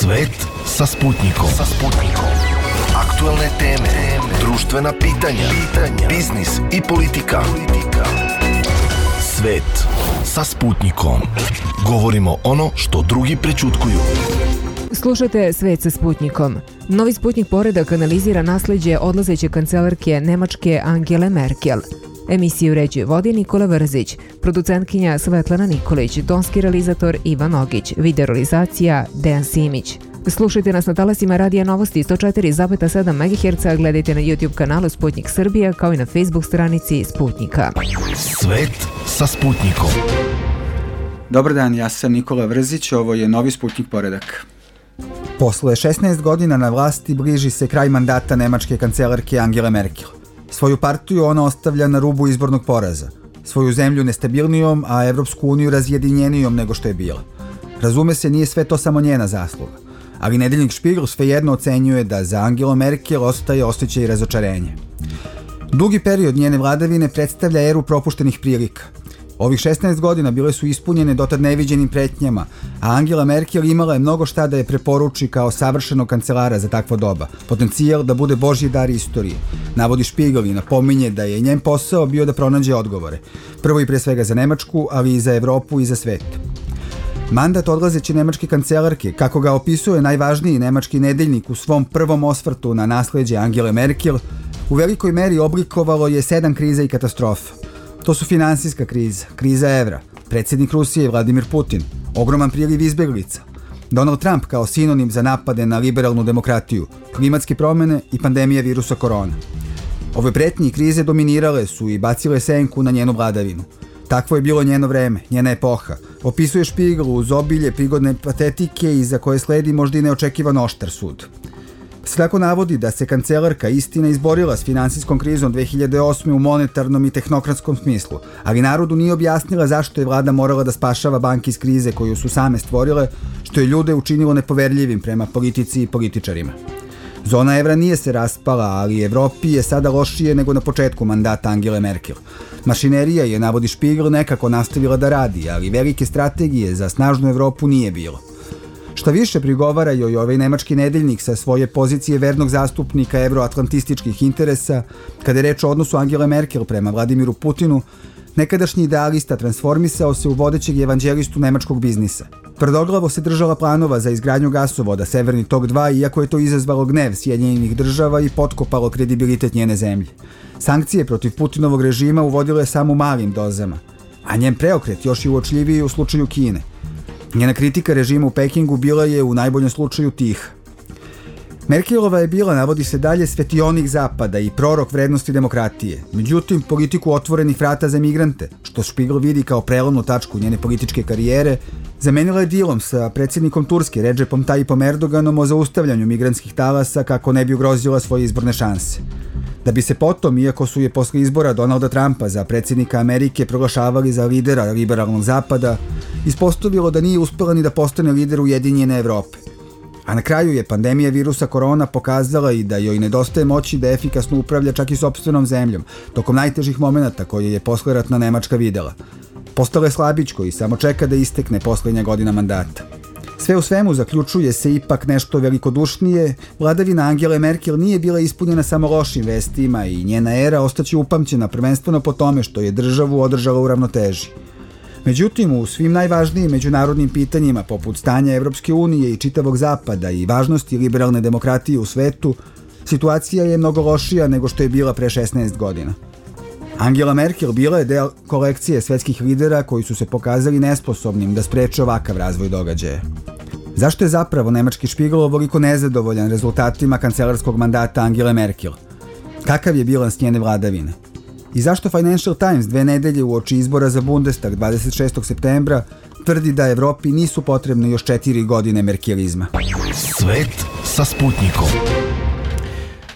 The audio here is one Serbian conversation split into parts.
Svet sa Sputnikom. Aktuelne teme, društvena pitanja, biznis i politika. Svet sa Sputnikom. Govorimo ono što drugi prećutkuju. Slušajte Svet sa Sputnikom. Novi Sputnik poredak analizira nasleđe odlazeće kancelarke Nemačke Angele Merkel. Emisiju uređuje vodi Nikola Vrzić, producentkinja Svetlana Nikolić, tonski realizator Ivan Ogić, video realizacija Dejan Simić. Slušajte nas na talasima Radija Novosti 104,7 MHz, gledajte na YouTube kanalu Sputnik Srbija kao i na Facebook stranici Sputnika. Svet sa Sputnikom. Dobar dan, ja sam Nikola Vrzić, ovo je Novi Sputnik poredak. Posle 16 godina na vlasti bliži se kraj mandata nemačke kancelarke Angele Merkel. Svoju partiju ona ostavlja na rubu izbornog poraza, svoju zemlju nestabilnijom, a Evropsku uniju razjedinjenijom nego što je bila. Razume se, nije sve to samo njena zasluga, ali nedeljnik Špigl svejedno ocenjuje da za Angelu Merkel ostaje osjećaj razočarenja. Dugi period njene vladavine predstavlja eru propuštenih prilika. Ovih 16 godina bile su ispunjene dotad neviđenim pretnjama, a Angela Merkel imala je mnogo šta da je preporuči kao savršenog kancelara za takvo doba, potencijal da bude božji dar istorije. Navodi Špigl i napominje da je njen posao bio da pronađe odgovore, prvo i pre svega za Nemačku, ali i za Evropu i za svet. Mandat odlazeće nemačke kancelarke, kako ga opisuje najvažniji nemački nedeljnik u svom prvom osvrtu na nasleđe Angele Merkel, u velikoj meri oblikovalo je 7 kriza i katastrofa. To su finansijska kriza, kriza evra, predsjednik Rusije Vladimir Putin, ogroman priliv izbeglica, Donald Trump kao sinonim za napade na liberalnu demokratiju, klimatske promjene i pandemija virusa korona. Ove pretnje i krize dominirale su i bacile senku na njenu vladavinu. Takvo je bilo njeno vreme, njena epoha. Opisuje Špigl uz obilje prigodne patetike i za koje sledi možda i neočekivan oštar sud. Tako navodi da se kancelarka istina izborila s finansijskom krizom 2008. u monetarnom i tehnokratskom smislu, ali narodu nije objasnila zašto je vlada morala da spašava banke iz krize koju su same stvorile, što je ljude učinilo nepoverljivim prema politici i političarima. Zona evra nije se raspala, ali Evropi je sada lošije nego na početku mandata Angele Merkel. Mašinerija je, navodi Špigl, nekako nastavila da radi, ali velike strategije za snažnu Evropu nije bilo. Šta više, prigovara joj ovaj nemački nedeljnik sa svoje pozicije vernog zastupnika evroatlantističkih interesa, kada je reč o odnosu Angele Merkel prema Vladimiru Putinu, nekadašnji idealista transformisao se u vodećeg evanđelistu nemačkog biznisa. Tvrdoglavo se držala planova za izgradnju gasovoda Severni tok 2, iako je to izazvalo gnev Sjedinjenih država i potkopalo kredibilitet njene zemlje. Sankcije protiv Putinovog režima uvodile je samo u malim dozama, a njen preokret još je uočljiviji u slučaju Kine. Njena kritika režima u Pekingu bila je u najboljem slučaju tiha. Merkelova je bila, navodi se dalje, svetionik zapada i prorok vrednosti demokratije. Međutim, politiku otvorenih vrata za migrante, što Špigl vidi kao prelomnu tačku njene političke karijere, zamenila je dilom sa predsjednikom Turske Redžepom Tayyipom Erdoganom o zaustavljanju migrantskih talasa kako ne bi ugrozila svoje izborne šanse. Da bi se potom, iako su je posle izbora Donalda Trumpa za predsjednika Amerike proglašavali za lidera liberalnog zapada, ispostavilo da nije uspela ni da postane lider Ujedinjene Evrope. A na kraju je pandemija virusa korona pokazala i da joj nedostaje moći da efikasno upravlja čak i sopstvenom zemljom, tokom najtežih momenata koje je posleratna Nemačka videla. Postala je slabičko i samo čeka da istekne posljednja godina mandata. Sve u svemu zaključuje se ipak nešto velikodušnije, vladavina Angele Merkel nije bila ispunjena samo lošim vestima i njena era ostaće upamćena prvenstveno po tome što je državu održala u ravnoteži. Međutim, u svim najvažnijim međunarodnim pitanjima poput stanja Evropske unije i čitavog zapada i važnosti liberalne demokratije u svetu, situacija je mnogo lošija nego što je bila pre 16 godina. Angela Merkel bila je deo kolekcije svetskih lidera koji su se pokazali nesposobnim da spreče ovakav razvoj događaja. Zašto je zapravo nemački Špigl ovoliko nezadovoljan rezultatima kancelarskog mandata Angele Merkel? Kakav je bilans njene vladavine? I zašto Financial Times 2 nedelje uoči izbora za Bundestag 26. septembra tvrdi da Evropi nisu potrebne još 4 godine merkelizma? Svet sa Sputnikom.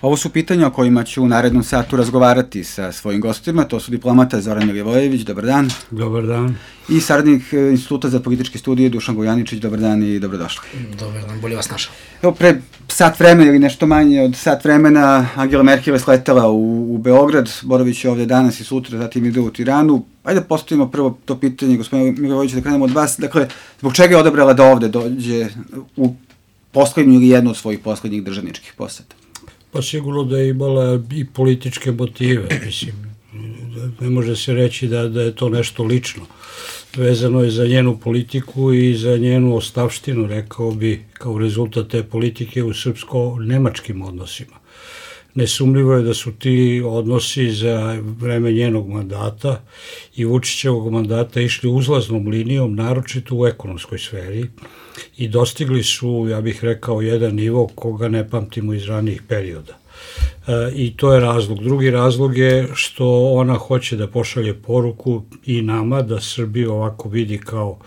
Ovo su pitanja o kojima ću u narednom satu razgovarati sa svojim gostima. To su diplomata Zoran Milivojević, dobar dan. Dobar dan. I saradnik Instituta za političke studije Dušan Gojaničić, dobar dan i dobrodošli. Dobar dan, bolje vas našao. Evo, pre sat vremena ili nešto manje od sat vremena Angela Merkel je sletela u Beograd, boravit će ovdje danas i sutra, zatim ide u Tiranu. Ajde postavimo prvo to pitanje, gospodine Milivojević, da krenemo od vas. Dakle, zbog čega je odabrala da ovde dođe u poslednju ili jednu od svojih poslednjih državničkih poseta? Pa sigurno da je imala i političke motive, mislim, ne može se reći da je to nešto lično. Vezano je za njenu politiku i za njenu ostavštinu, rekao bi, kao rezultat te politike u srpsko-nemačkim odnosima. Nesumljivo je da su ti odnosi za vreme njenog mandata i Vučićevog mandata išli uzlaznom linijom, naročito u ekonomskoj sferi, i dostigli su, ja bih rekao, jedan nivo koga ne pamtimo iz ranijih perioda. I to je razlog. Drugi razlog je što ona hoće da pošalje poruku i nama da Srbiju ovako vidi kao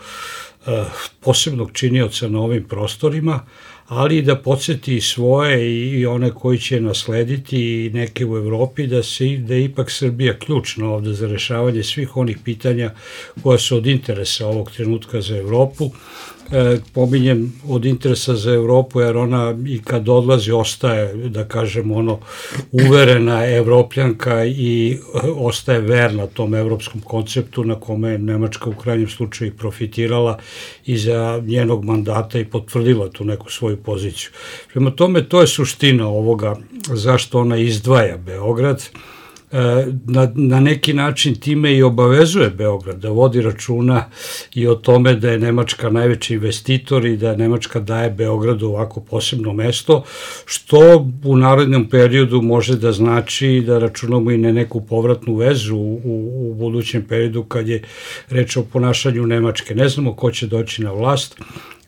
posebnog činioca na ovim prostorima, ali i da podsjeti svoje i one koji će naslediti i neke u Evropi da je ipak Srbija ključna ovde za rešavanje svih onih pitanja koja su od interesa ovog trenutka za Evropu. Pominjem od interesa za Evropu jer ona i kad odlazi ostaje, da kažem, uverena evropljanka i ostaje verna tom evropskom konceptu na kome je Nemačka u krajnjem slučaju profitirala i za njenog mandata i potvrdila tu neku svoju poziciju. Prema tome, to je suština ovoga zašto ona izdvaja Beograd. Na neki način time i obavezuje Beograd da vodi računa i o tome da je Nemačka najveći investitor i da Nemačka daje Beogradu ovako posebno mesto, što u narednom periodu može da znači da računamo i na neku povratnu vezu u budućem periodu kad je reč o ponašanju Nemačke. Ne znamo ko će doći na vlast,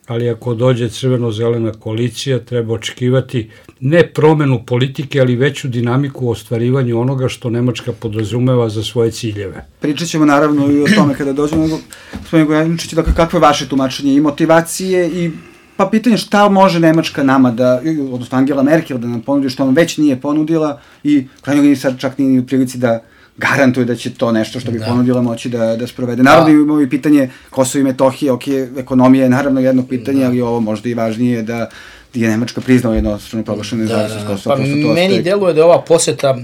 ali ako dođe crveno-zelena koalicija, treba očekivati ne promenu politike, ali veću dinamiku u ostvarivanju onoga što Nemačka podrazumeva za svoje ciljeve. Pričat ćemo naravno i o tome kada dođemo, gospodin Gojaničić, dakle, kakvo je vaše tumačenje i motivacije i pa pitanje šta može Nemačka nama da, odnosno Angela Merkel da nam ponudi što nam već nije ponudila i krajnjoj liniji sad čak nije u prilici da garantuje da će to nešto što bi ponudila moći da sprovede. Naravno imamo i pitanje Kosovo i Metohije, ekonomija je naravno jedno pitanje, ali ovo možda i važnije da je Nemačka priznala jednostrano proglašenu nezavisnost Kosova. Pa meni deluje da je ova poseta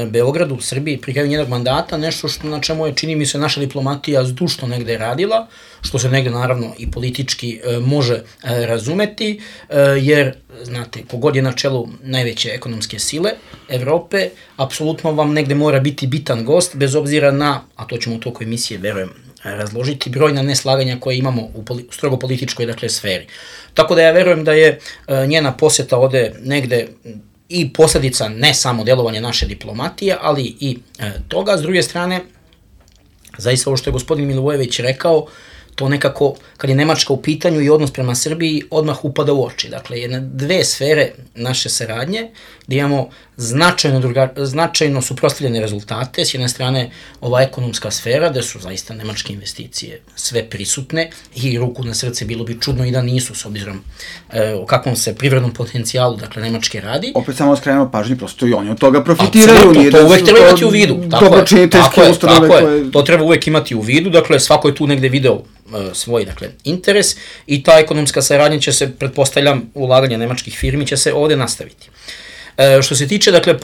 Beogradu u Srbiji pri kraju njenog mandata nešto na čemu je, čini mi se, naša diplomatija zdušno negde radila, što se negde naravno i politički može razumeti, jer, znate, kogod je na čelu najveće ekonomske sile Evrope, apsolutno vam negde mora biti bitan gost, bez obzira na, a to ćemo u toku emisije, verujem, razložiti, brojna neslaganja koje imamo u strogo političkoj, dakle, sferi. Tako da ja verujem da je njena poseta ovde negde i posledica ne samo delovanja naše diplomatije, ali i toga. S druge strane, zaista ovo što je gospodin Milivojević rekao, to nekako, kad je Nemačka u pitanju i odnos prema Srbiji, odmah upada u oči. Dakle, jedne dve sfere naše saradnje, gde imamo značajno suprotstavljene rezultate. S jedne strane, ova ekonomska sfera, gde su zaista nemačke investicije sve prisutne i ruku na srce bilo bi čudno i da nisu, s obzirom o kakvom se privrednom potencijalu, dakle, Nemačke radi. Opet samo skrenemo pažnji, prosto i oni od toga profitiraju. Absolutno, to uvek treba imati u vidu. Tako je, to treba uvek imati u vidu, dakle, svako je tu negde video svoj, dakle, interes i ta ekonomska saradnja će se, pretpostavljam, ulaganje nemačkih firmi će se ovde nastaviti. Što se tiče, dakle,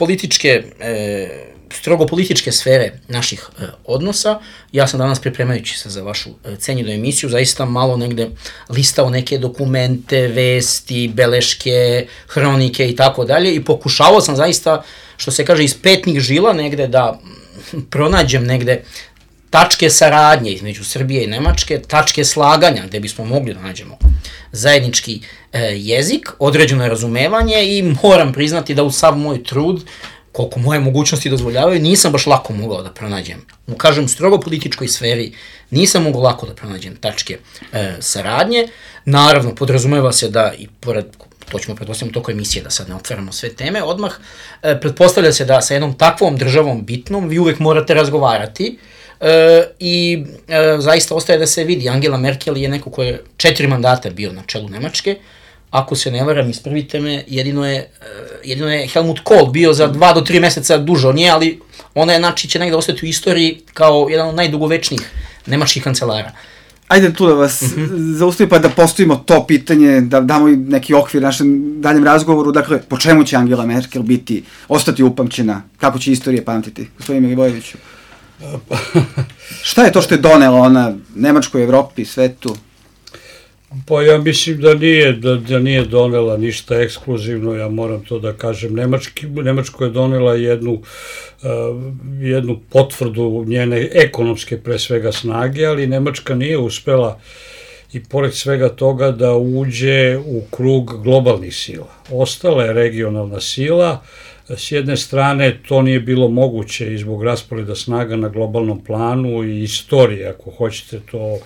strogo političke sfere naših odnosa, ja sam danas, pripremajući se za vašu cenjenu emisiju, zaista malo negde listao neke dokumente, vesti, beleške, hronike i tako dalje i pokušavao sam zaista, što se kaže, iz petnih žila negde da pronađem negde tačke saradnje između Srbije i Nemačke, tačke slaganja gde bismo mogli da nađemo zajednički jezik, određeno razumevanje i moram priznati da u sav moj trud, koliko moje mogućnosti dozvoljavaju, nisam baš lako mogao da pronađem. U, kažem, strogo političkoj sferi nisam mogao lako da pronađem tačke saradnje. Naravno, podrazumeva se da i pored, to ćemo pretpostavljati toko emisije, da sad ne otvaramo sve teme, odmah pretpostavlja se da sa jednom takvom državom bitnom vi uvek morate razgovarati, i zaista ostaje da se vidi. Angela Merkel je neko ko je 4 mandata bio na čelu Nemačke, ako se ne varam, ispravite me, jedino je Helmut Kohl bio za 2 do 3 meseca duže od nje, ali ona je, znači, će negde ostati u istoriji kao jedan od najdugovečnijih nemačkih kancelara. Ajde tu da vas zaustavim pa da postavimo to pitanje, da damo i neki okvir našem daljem razgovoru. Dakle, po čemu će Angela Merkel ostati upamćena? Kako će istorije pamtiti? Gospodin Milivojeviću. Šta je to što je donela ona Nemačkoj, Evropi, svetu? Pa ja mislim da nije donela ništa ekskluzivno, ja moram to da kažem. Nemačko je donela jednu potvrdu njene ekonomske pre svega snage, ali Nemačka nije uspela i pored svega toga da uđe u krug globalnih sila. Ostala je regionalna sila. S jedne strane to nije bilo moguće i zbog rasporeda snaga na globalnom planu i istorije, ako hoćete, to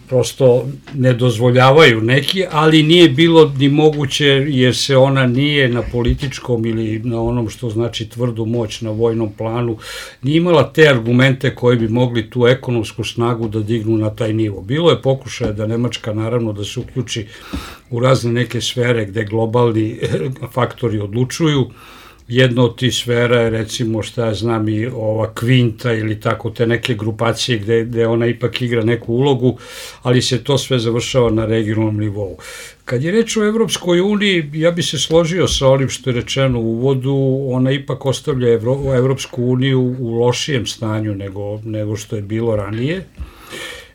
prosto ne dozvoljavaju neki, ali nije bilo ni moguće jer se ona nije na političkom ili na onom što znači tvrdu moć na vojnom planu, nije imala te argumente koji bi mogli tu ekonomsku snagu da dignu na taj nivo. Bilo je pokušaja da Nemačka naravno da se uključi u razne neke sfere gde globalni faktori odlučuju. Jedna od tih sfera je recimo šta ja znam i ova Kvinta ili tako te neke grupacije gde ona ipak igra neku ulogu, ali se to sve završava na regionalnom nivou. Kad je reč o Evropskoj uniji, ja bi se složio sa onim što je rečeno u uvodu, ona ipak ostavlja Evropsku uniju u lošijem stanju nego što je bilo ranije.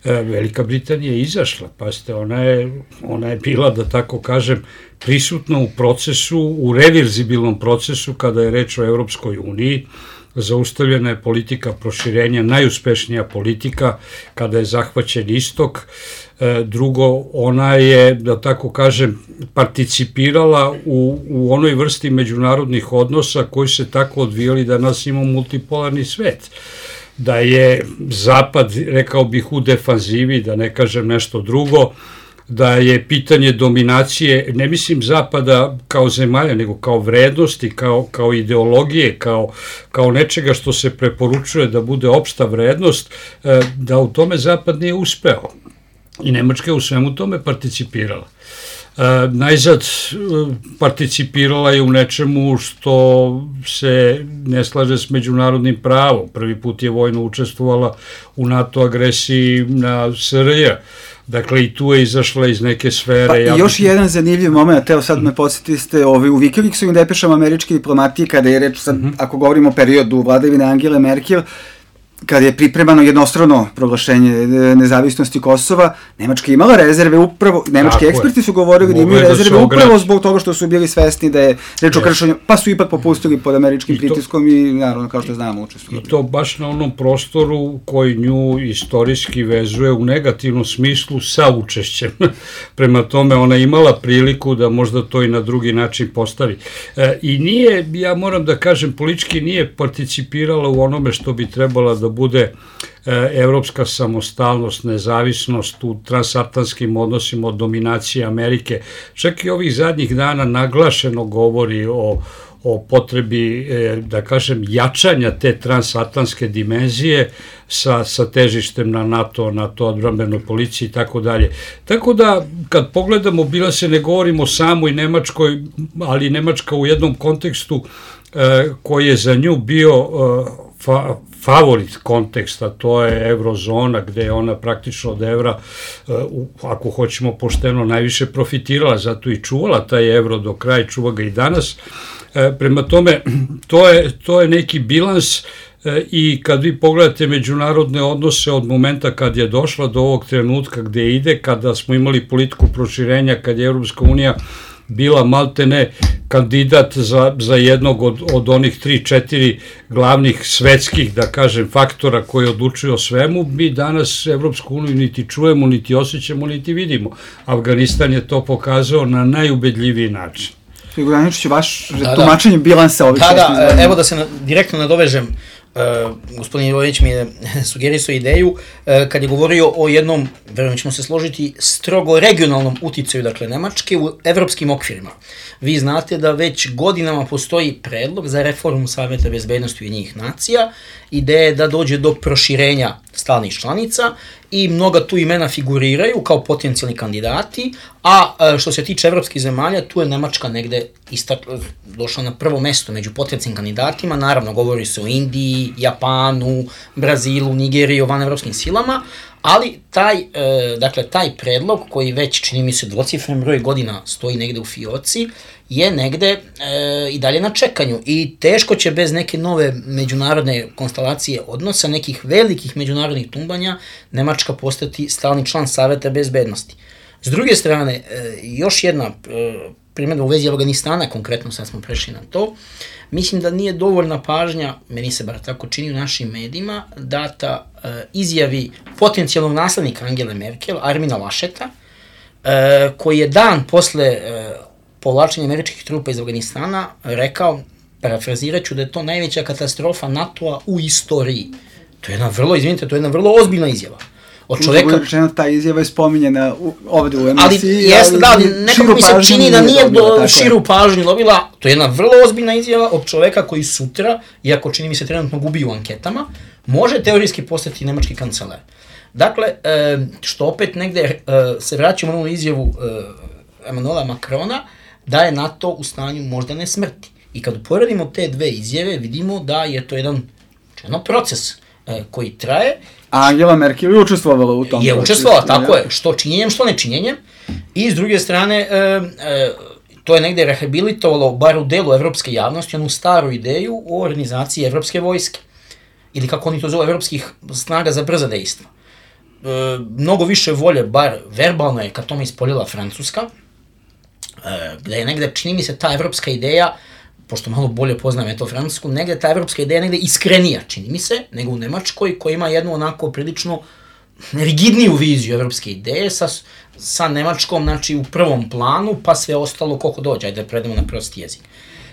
Velika Britanija je izašla, pazite, ona je bila, da tako kažem, prisutna u procesu, u reverzibilnom procesu kada je reč o Evropskoj uniji. Zaustavljena je politika proširenja, najuspešnija politika kada je zahvaćen istok. Drugo, ona je, da tako kažem, participirala u onoj vrsti međunarodnih odnosa koji se tako odvijali da nas imamo multipolarni svet. Da je Zapad, rekao bih, u defanzivi, da ne kažem nešto drugo, da je pitanje dominacije, ne mislim Zapada kao zemalja, nego kao vrednosti, kao ideologije, kao nečega što se preporučuje da bude opšta vrednost, da u tome Zapad nije uspeo. I Nemačka je u svemu tome participirala. Najzad participirala je u nečemu što se ne slaže s međunarodnim pravom. Prvi put je vojno učestvovala u NATO agresiji na SRJ. Dakle, i tu je izašla iz neke sfere. Pa još jedan zanimljiv moment, evo sad me podsjetili ste u Wikileaksu depešama američke diplomatije, kada je reč, sad, ako govorimo o periodu vladavine Angele Merkel, kada je pripremano jednostrano proglašenje nezavisnosti Kosova, Nemačka je imala rezerve upravo, nemački eksperti su govorili da imaju rezerve upravo zbog toga što su bili svesni da je reč o kršenju, pa su ipak popustili pod američkim pritiskom i naravno, kao što znamo, učestvovali. I to baš na onom prostoru koji nju istorijski vezuje u negativnom smislu sa učešćem. Prema tome, ona imala priliku da možda to i na drugi način postavi. I nije, ja moram da kažem, politički nije participirala u onome što bi trebala da bude evropska samostalnost, nezavisnost u transatlantskim odnosima od dominacije Amerike. Čak i ovih zadnjih dana naglašeno govori o potrebi, da kažem, jačanja te transatlantske dimenzije sa težištem na NATO odbrambenoj policiji i tako dalje. Tako da, kad pogledamo, bila se ne govorimo samo i Nemačkoj, ali Nemačka u jednom kontekstu koji je za nju bio favorit konteksta, to je eurozona, gde je ona praktično od evra, ako hoćemo pošteno, najviše profitirala, zato i čuvala taj evro do kraja, čuva ga i danas. Prema tome, to je neki bilans i kad vi pogledate međunarodne odnose od momenta kad je došla do ovog trenutka gde ide, kada smo imali politiku proširenja, kad je Evropska unija bila maltene kandidat za jednog od onih 3-4 glavnih svetskih, da kažem, faktora koji odlučuju o svemu, mi danas Evropsku uniju niti čujemo, niti osjećamo, niti vidimo. Afganistan je to pokazao na najubedljiviji način. Graničiću, vaš tumačenje bilansa ovih 16 godina. Evo da se direktno nadovežem, gospodin Ivović mi je sugerisao ideju kad je govorio o jednom, verujem ćemo se složiti, strogo regionalnom uticaju, dakle, Nemačke u evropskim okvirima. Vi znate da već godinama postoji predlog za reformu Saveta bezbednosti Ujedinjenih nacija, ideja je da dođe do proširenja stalnih članica i mnoga tu imena figuriraju kao potencijalni kandidati, a što se tiče evropskih zemalja, tu je Nemačka negde došla na prvo mesto među potencijalnim kandidatima, naravno govori se o Indiji, Japanu, Brazilu, Nigeriji, o vanevropskim silama, ali taj predlog koji već, čini mi se, dvocifren broj godina stoji negde u fioci, je negde i dalje na čekanju i teško će bez neke nove međunarodne konstelacije odnosa, nekih velikih međunarodnih tumbanja, Nemačka postati stalni član Saveta bezbednosti. S druge strane, još jedna primjedba u vezi Afganistana, konkretno sad smo prešli na to, mislim da nije dovoljna pažnja, meni se bar tako čini u našim medijima, data izjavi potencijalnog naslednika Angele Merkel, Armina Lascheta, koji je dan posle povlačenja američkih trupa iz Afganistana rekao, parafrazirat ću, da je to najveća katastrofa NATO-a u istoriji. To je jedna vrlo, izvinite, to je jedna vrlo ozbiljna izjava. Od čoveka... Rečeno, ta izjava je spominjena ovde u emisiji. Ali jeste, da, nekako mi se čini da nije širu pažnju dobila. To je jedna vrlo ozbiljna izjava od čoveka koji sutra, iako čini mi se trenutno gubi u anketama, može teorijski postati nemački kancelar. Dakle, što opet negde se vraćamo na ovu izjavu Emmanuela Macrona, da je NATO u stanju moždane smrti. I kad uporedimo te dve izjave, vidimo da je to jedan proces koji traje. A Angela Merkel je učestvovala u tom procesu. Je učestvovala, tako je, što činjenjem, što nečinjenjem. I s druge strane, to je negde rehabilitovalo, bar u delu evropske javnosti, onu staru ideju o organizaciji evropske vojske. Ili kako oni to zove, evropskih snaga za brza dejstva. Mnogo više volje, bar verbalno je kad tome ispoljila Francuska, gde je negde, čini mi se, ta evropska ideja, pošto malo bolje poznajem to Francusku, negde ta evropska ideja negde iskrenija, čini mi se, nego u Nemačkoj, koja ima jednu onako prilično rigidniju viziju evropske ideje, sa Nemačkom, znači, u prvom planu, pa sve ostalo koliko dođe, ajde da predemo na prosti jezik.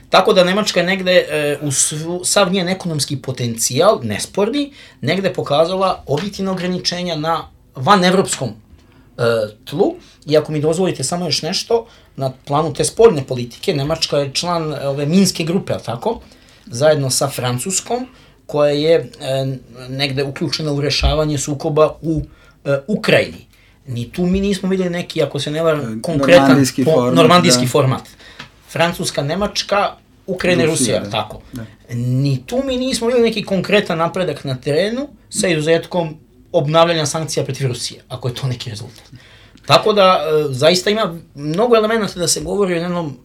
Tako da Nemačka je negde, u sav njen ekonomski potencijal, nesporni, negde pokazala objektivna ograničenja na vanevropskom tlu. I ako mi dozvolite samo još nešto, na planu te spoljne politike, Nemačka je član ove Minske grupe, ali tako, zajedno sa Francuskom, koja je negde uključena u rešavanje sukoba u Ukrajini. Ni tu mi nismo videli neki, ako se ne varam, konkretan normandijski format. Francuska, Nemačka, Ukrajina i Rusija, tako. Ni tu mi nismo videli neki konkretan napredak na terenu, sa izuzetkom obnavljanja sankcija protiv Rusije, ako je to neki rezultat. Tako da, zaista ima mnogo elementa da se govori o jednom,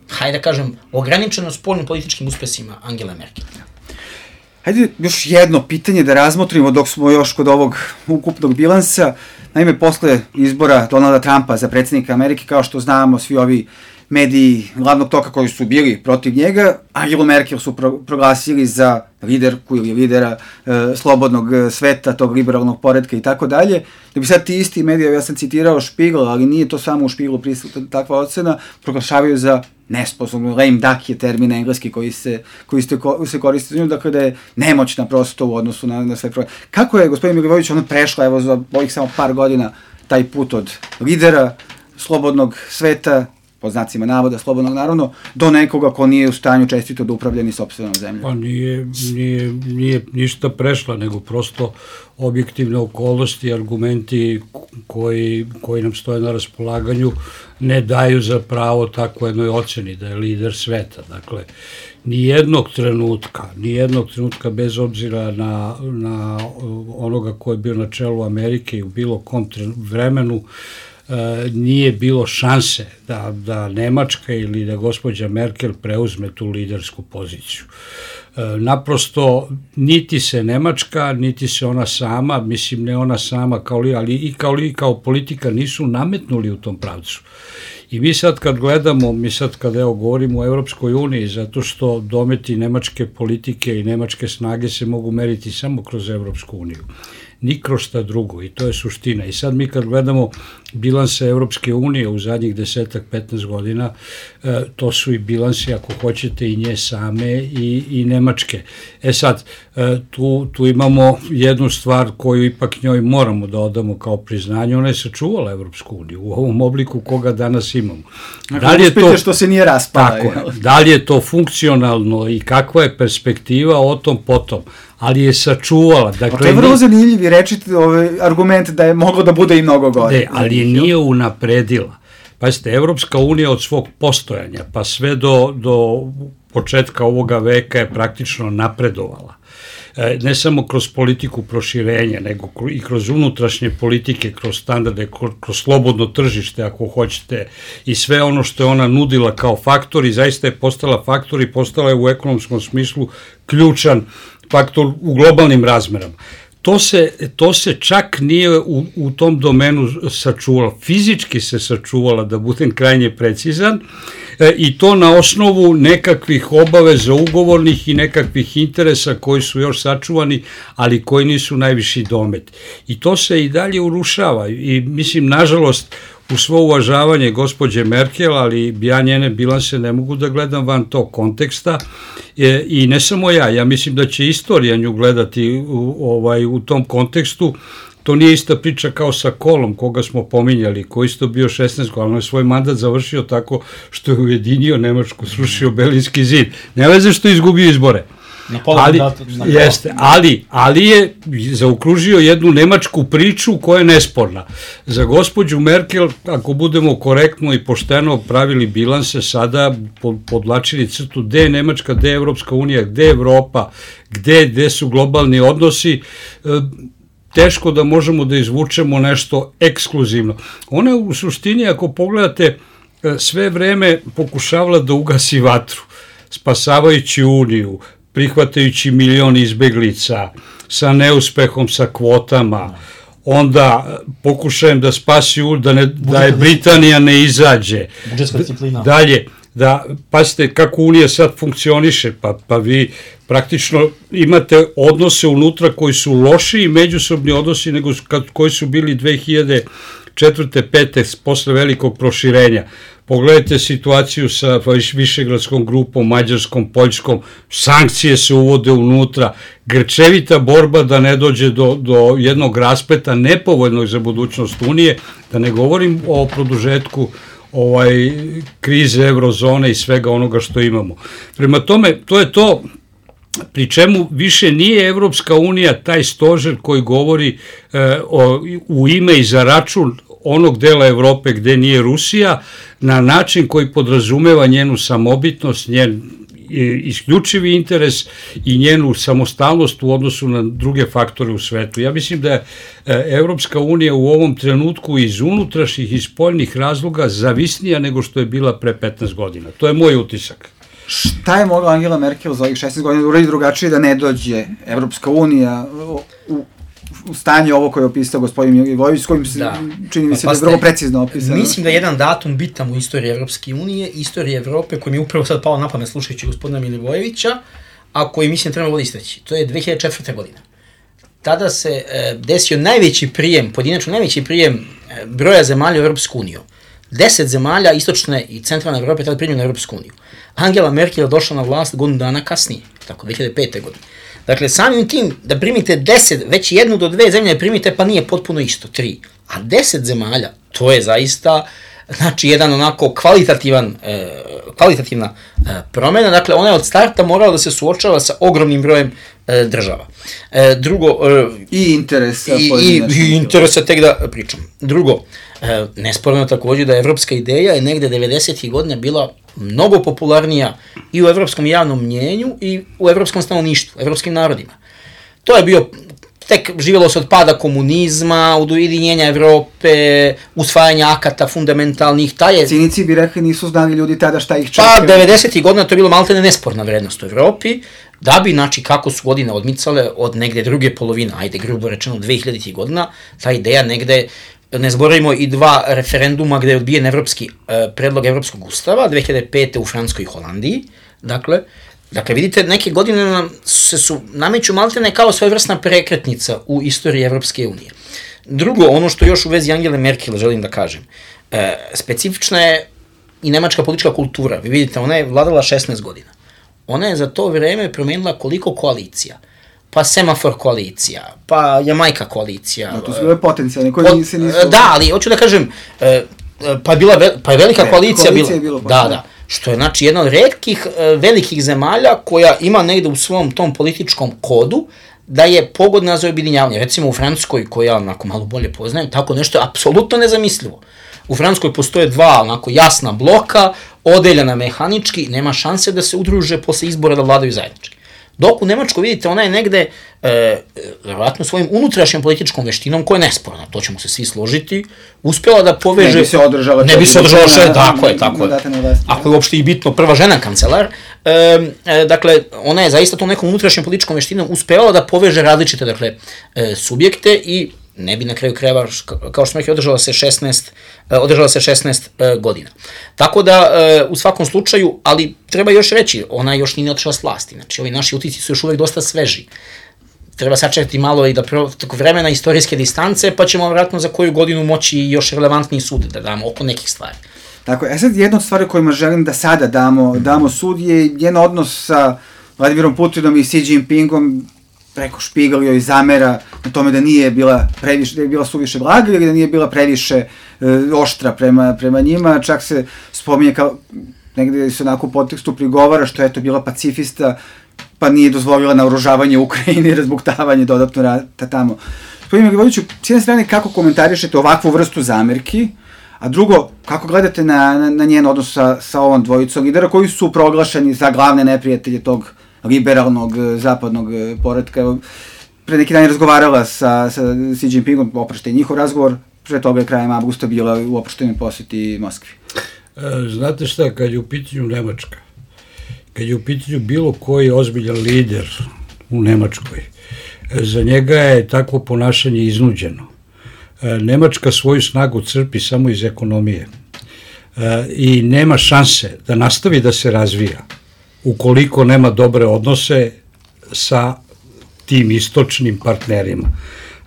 hajde da kažem, ograničeno spoljnim političkim uspesima Angela Merkel. Hajde još jedno pitanje da razmotrimo dok smo još kod ovog ukupnog bilansa. Naime, posle izbora Donalda Trumpa za predsjednika Amerike, kao što znamo, svi ovi mediji glavnog toka koji su bili protiv njega, Angelu Merkel su proglasili za liderku ili lidera slobodnog sveta, tog liberalnog poretka i tako dalje. Da bi sad ti isti mediji, ja sam citirao Spiegel, ali nije to samo u Spiegelu prisutna takva ocena, proglašavaju za nesposobno, lame duck je termin engleski koji se koristi za nju, dakle da je nemoćna prosto u odnosu na sve probleme. Kako je, gospodin Milivojević, ona prešla, evo za ovih samo par godina, taj put od lidera slobodnog sveta, po znacima navoda, slobodnog naravno, do nekoga ko nije u stanju čestito da upravlja ni sopstvenom zemljom? Pa nije ništa prešla, nego prosto objektivne okolnosti, argumenti koji nam stoje na raspolaganju ne daju za pravo takvo jednoj oceni da je lider sveta. Dakle, nijednog trenutka bez obzira na onoga ko je bio na čelu Amerike i u bilo kom vremenu, nije bilo šanse da Nemačka ili da gospođa Merkel preuzme tu lidersku poziciju. Naprosto, niti se Nemačka, niti se ona sama, mislim ne ona sama, ali i kao politika nisu nametnuli u tom pravcu. I mi sad kad gledamo, govorimo o Evropskoj uniji, zato što dometi nemačke politike i nemačke snage se mogu meriti samo kroz Evropsku uniju. Ni kroz šta drugo, i to je suština. I sad mi kad gledamo bilanse Evropske unije u zadnjih 10-15 godina, to su i bilansi, ako hoćete, i nje same i Nemačke. Sad, tu imamo jednu stvar koju ipak njoj moramo da odamo kao priznanje, ona je sačuvala Evropsku uniju u ovom obliku koga danas imamo. Da li je to što se nije raspala? Tako, da li je to funkcionalno i kakva je perspektiva o tom potom, ali je sačuvala. Dakle, to je vrlo zanimljivi rečiti argument da je moglo da bude i mnogo gore. Ali nije unapredila. Pazite, Evropska unija od svog postojanja pa sve do početka ovoga veka je praktično napredovala. Ne samo kroz politiku proširenja, nego i kroz unutrašnje politike, kroz standarde, kroz slobodno tržište, ako hoćete, i sve ono što je ona nudila kao faktor i zaista je postala faktor i postala je u ekonomskom smislu ključan faktor u globalnim razmerama. to se čak nije u tom domenu sačuvalo. Fizički se sačuvala, da budem krajnje precizan, i to na osnovu nekakvih obaveza ugovornih i nekakvih interesa koji su još sačuvani, ali koji nisu najviši domet. I to se i dalje urušava i mislim, nažalost, u svo uvažavanje gospođe Merkel, ali ja njene bilanse ne mogu da gledam van tog konteksta i ne samo ja mislim da će istorija nju gledati u tom kontekstu. To nije ista priča kao sa Kolom, koga smo pominjali, koji isto bio 16 godina, on je svoj mandat završio tako što je ujedinio Nemačku, srušio Berlinski zid. Ne veze što je izgubio izbore. Ali je zaokružio jednu nemačku priču koja je nesporna. Za gospođu Merkel, ako budemo korektno i pošteno pravili bilanse, sada podlačili crtu gde je Nemačka, gde je Evropska unija, gde je Evropa, gde su globalni odnosi, teško da možemo da izvučemo nešto ekskluzivno. Ona u suštini, ako pogledate, sve vreme pokušavala da ugasi vatru, spasavajući Uniju, prihvatajući milion izbeglica, sa neuspehom, sa kvotama, onda pokušajem da spasi da je Britanija ne izađe. Budžetska disciplina. Dalje, pazite kako Unija sad funkcioniše, pa vi praktično imate odnose unutra koji su lošiji međusobni odnosi nego koji su bili 2004. 5. posle velikog proširenja. Pogledajte situaciju sa Višegradskom grupom, Mađarskom, Poljskom, sankcije se uvode unutra, grčevita borba da ne dođe do jednog raspleta nepovoljnog za budućnost Unije, da ne govorim o produžetku krize eurozone i svega onoga što imamo. Prema tome, to je to, pri čemu više nije Evropska unija taj stožer koji govori u ime i za račun onog dela Evrope gde nije Rusija, na način koji podrazumeva njenu samobitnost, njen isključivi interes i njenu samostalnost u odnosu na druge faktore u svetu. Ja mislim da je Evropska unija u ovom trenutku iz unutrašnjih i spoljnih razloga zavisnija nego što je bila pre 15 godina. To je moj utisak. Šta je mogla Angela Merkel za ovih 16 godina da uradi drugačije da ne dođe Evropska unija u stanje ovo koje je opisao gospodin Milivojević, s kojim se čini mi se da je vrlo precizno opisano. Mislim da je jedan datum bitan u istoriji Evropske unije, istoriji Evrope, koji mi je upravo sad pao na pamet slušajući gospodina Milivojevića, a koji mislim trebalo istaći. To je 2004. godina. Tada se desio najveći prijem, pojedinačno najveći prijem broja zemalja u Evropsku uniju. 10 zemalja istočne i centralne Evrope tada primljeno u Evropsku uniju. Angela Merkel je došla na vlast godinu dana kasnije, tako 2005. godine. Dakle, samim tim da primite 10, već 1 do 2 zemlje primite, pa nije potpuno isto, 3. A 10 zemalja, to je zaista, znači, jedan onako kvalitativna promena. Dakle, ona je od starta morala da se suočava sa ogromnim brojem država. Drugo... I interesa. I interesa, tek da pričam. Drugo, nesporno je također da evropska ideja je negde 90. godina bila mnogo popularnija i u evropskom javnom mnjenju i u evropskom stanovništvu, evropskim narodima. To je bio, tek živjelo se od pada komunizma, od ujedinjenja Evrope, usvajanja akata fundamentalnih, Cinici bi rekli nisu znali ljudi tada šta ih čeka. Pa 90. godina to je bilo maltene nesporna vrednost u Evropi, da bi, znači, kako su godine odmicale od negde druge polovine, ajde grubo rečeno 2000. godina, ta ideja negde, ne zaboravimo i 2 referenduma gde je odbijen predlog Evropskog ustava, 2005. u Francuskoj i Holandiji, dakle, vidite, neke godine su nameću maltene kao svojevrsna prekretnica u istoriji Evropske unije. Drugo, ono što još u vezi Angele Merkel želim da kažem, specifična je i nemačka politička kultura. Vi vidite, ona je vladala 16 godina. Ona je za to vreme promenila koliko koalicija. Pa semafor koalicija, pa Jamajka koalicija. To su bile potencijalne, koje se nisu... Da, ali hoću da kažem, pa je velika koalicija bila. Je bilo, da. Što je, znači, jedna od retkih velikih zemalja koja ima negde u svom tom političkom kodu da je pogodna za objedinjavanje. Recimo u Francuskoj, koju ja onako malo bolje poznajem, tako nešto je apsolutno nezamislivo. U Francuskoj postoje 2 onako jasna bloka, odeljena mehanički, nema šanse da se udruže posle izbora da vladaju zajednički. Dok u Nemačkoj, vidite, ona je negde, verovatno svojim unutrašnjom političkom veštinom, koja je nesporna, to ćemo se svi složiti, uspjela da poveže... Ne bi se održala tako je. Ako je uopšte i bitno prva žena kancelar, dakle, ona je zaista tom nekom unutrašnjom političkom veštinom uspevala da poveže različite, dakle, subjekte i ne bi na kraju krajeva, kao što smo rekli, održala se 16 godina. Tako da, u svakom slučaju, ali treba još reći, ona još nije otišla s vlasti, znači ovi naši utisci su još uvek dosta sveži. Treba sačekati malo i da tako vremena istorijske distance, pa ćemo vratno za koju godinu moći još relevantniji sud da damo oko nekih stvari. Tako je. Sad jedna od stvari kojima želim da sada damo sud je njen odnos sa Vladimirom Putinom i Xi Jinpingom, preko Špigelio i zamera na tome da nije bila previše, da je bila suviše blaga ili da nije bila previše oštra prema njima, čak se spominje kao, negde se onako u podtekstu prigovara što je to bila pacifista, pa nije dozvolila naoružavanje Ukrajine i razbuktavanje dodatno rata tamo. Gospodine Milivojeviću, s jedne strane kako komentarišete ovakvu vrstu zamerki, a drugo, kako gledate na njen odnos sa ovom dvojicom lidera koji su proglašeni za glavne neprijatelje tog liberalnog zapadnog poretka. Pre neki dan je razgovarala sa Xi Jinpingom, oprošte njihov razgovor, pre toga je krajem avgusta bila u oproštenoj poseti Moskvi. Znate šta, kad je u pitanju Nemačka, kad je u pitanju bilo koji ozbiljan lider u Nemačkoj, za njega je takvo ponašanje iznuđeno. Nemačka svoju snagu crpi samo iz ekonomije i nema šanse da nastavi da se razvija ukoliko nema dobre odnose sa tim istočnim partnerima.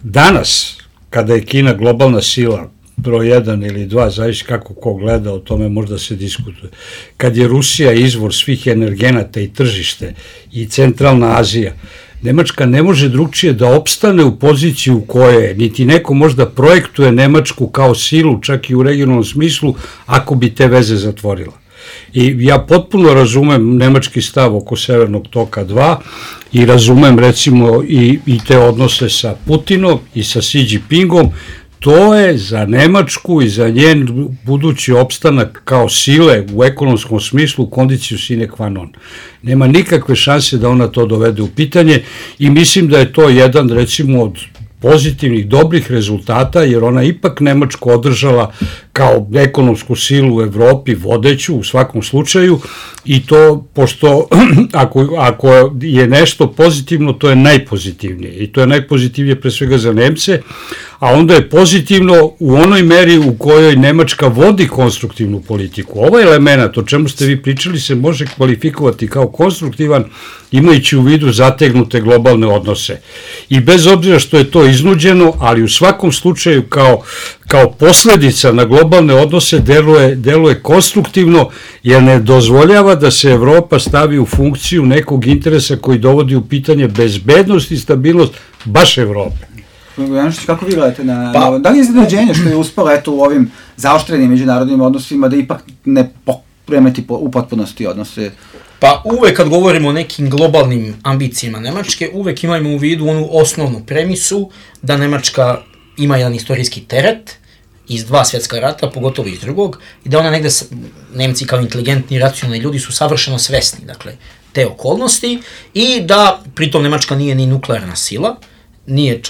Danas, kada je Kina globalna sila, broj 1 ili 2, zavisi kako ko gleda, o tome možda se diskutuje. Kad je Rusija izvor svih energenata i tržište i centralna Azija, Nemačka ne može drugčije da opstane u poziciju u kojoj je, niti neko možda projektuje Nemačku kao silu, čak i u regionalnom smislu, ako bi te veze zatvorila. I ja potpuno razumem nemački stav oko Severnog toka 2 i razumem recimo i te odnose sa Putinom i sa Xi Jinpingom. To je za Nemačku i za njen budući opstanak kao sile u ekonomskom smislu kondiciju sine qua non. Nema nikakve šanse da ona to dovede u pitanje i mislim da je to jedan recimo od pozitivnih, dobrih rezultata, jer ona ipak Nemačku održala kao ekonomsku silu u Evropi, vodeću u svakom slučaju, i to, pošto ako je nešto pozitivno, to je najpozitivnije, i to je najpozitivnije pre svega za Nemce, a onda je pozitivno u onoj meri u kojoj Nemačka vodi konstruktivnu politiku. Ovaj element, o čemu ste vi pričali, se može kvalifikovati kao konstruktivan, imajući u vidu zategnute globalne odnose. I bez obzira što je to iznuđeno, ali u svakom slučaju kao posledica na globalne odnose deluje konstruktivno, jer ne dozvoljava da se Evropa stavi u funkciju nekog interesa koji dovodi u pitanje bezbednost i stabilnost baš Evrope. Janošić, kako vi gledate da li je iznenađenje što je uspela u ovim zaoštrenim međunarodnim odnosima da ipak ne pokremeti u potpunosti odnose? Pa uvek kad govorimo o nekim globalnim ambicijama Nemačke, uvek imajmo u vidu onu osnovnu premisu da Nemačka ima jedan istorijski teret iz 2 svjetska rata, pogotovo iz drugog, i da ona negde, Nemci kao inteligentni i racionalni ljudi su savršeno svesni, dakle, te okolnosti, i da pritom Nemačka nije ni nuklearna sila, nije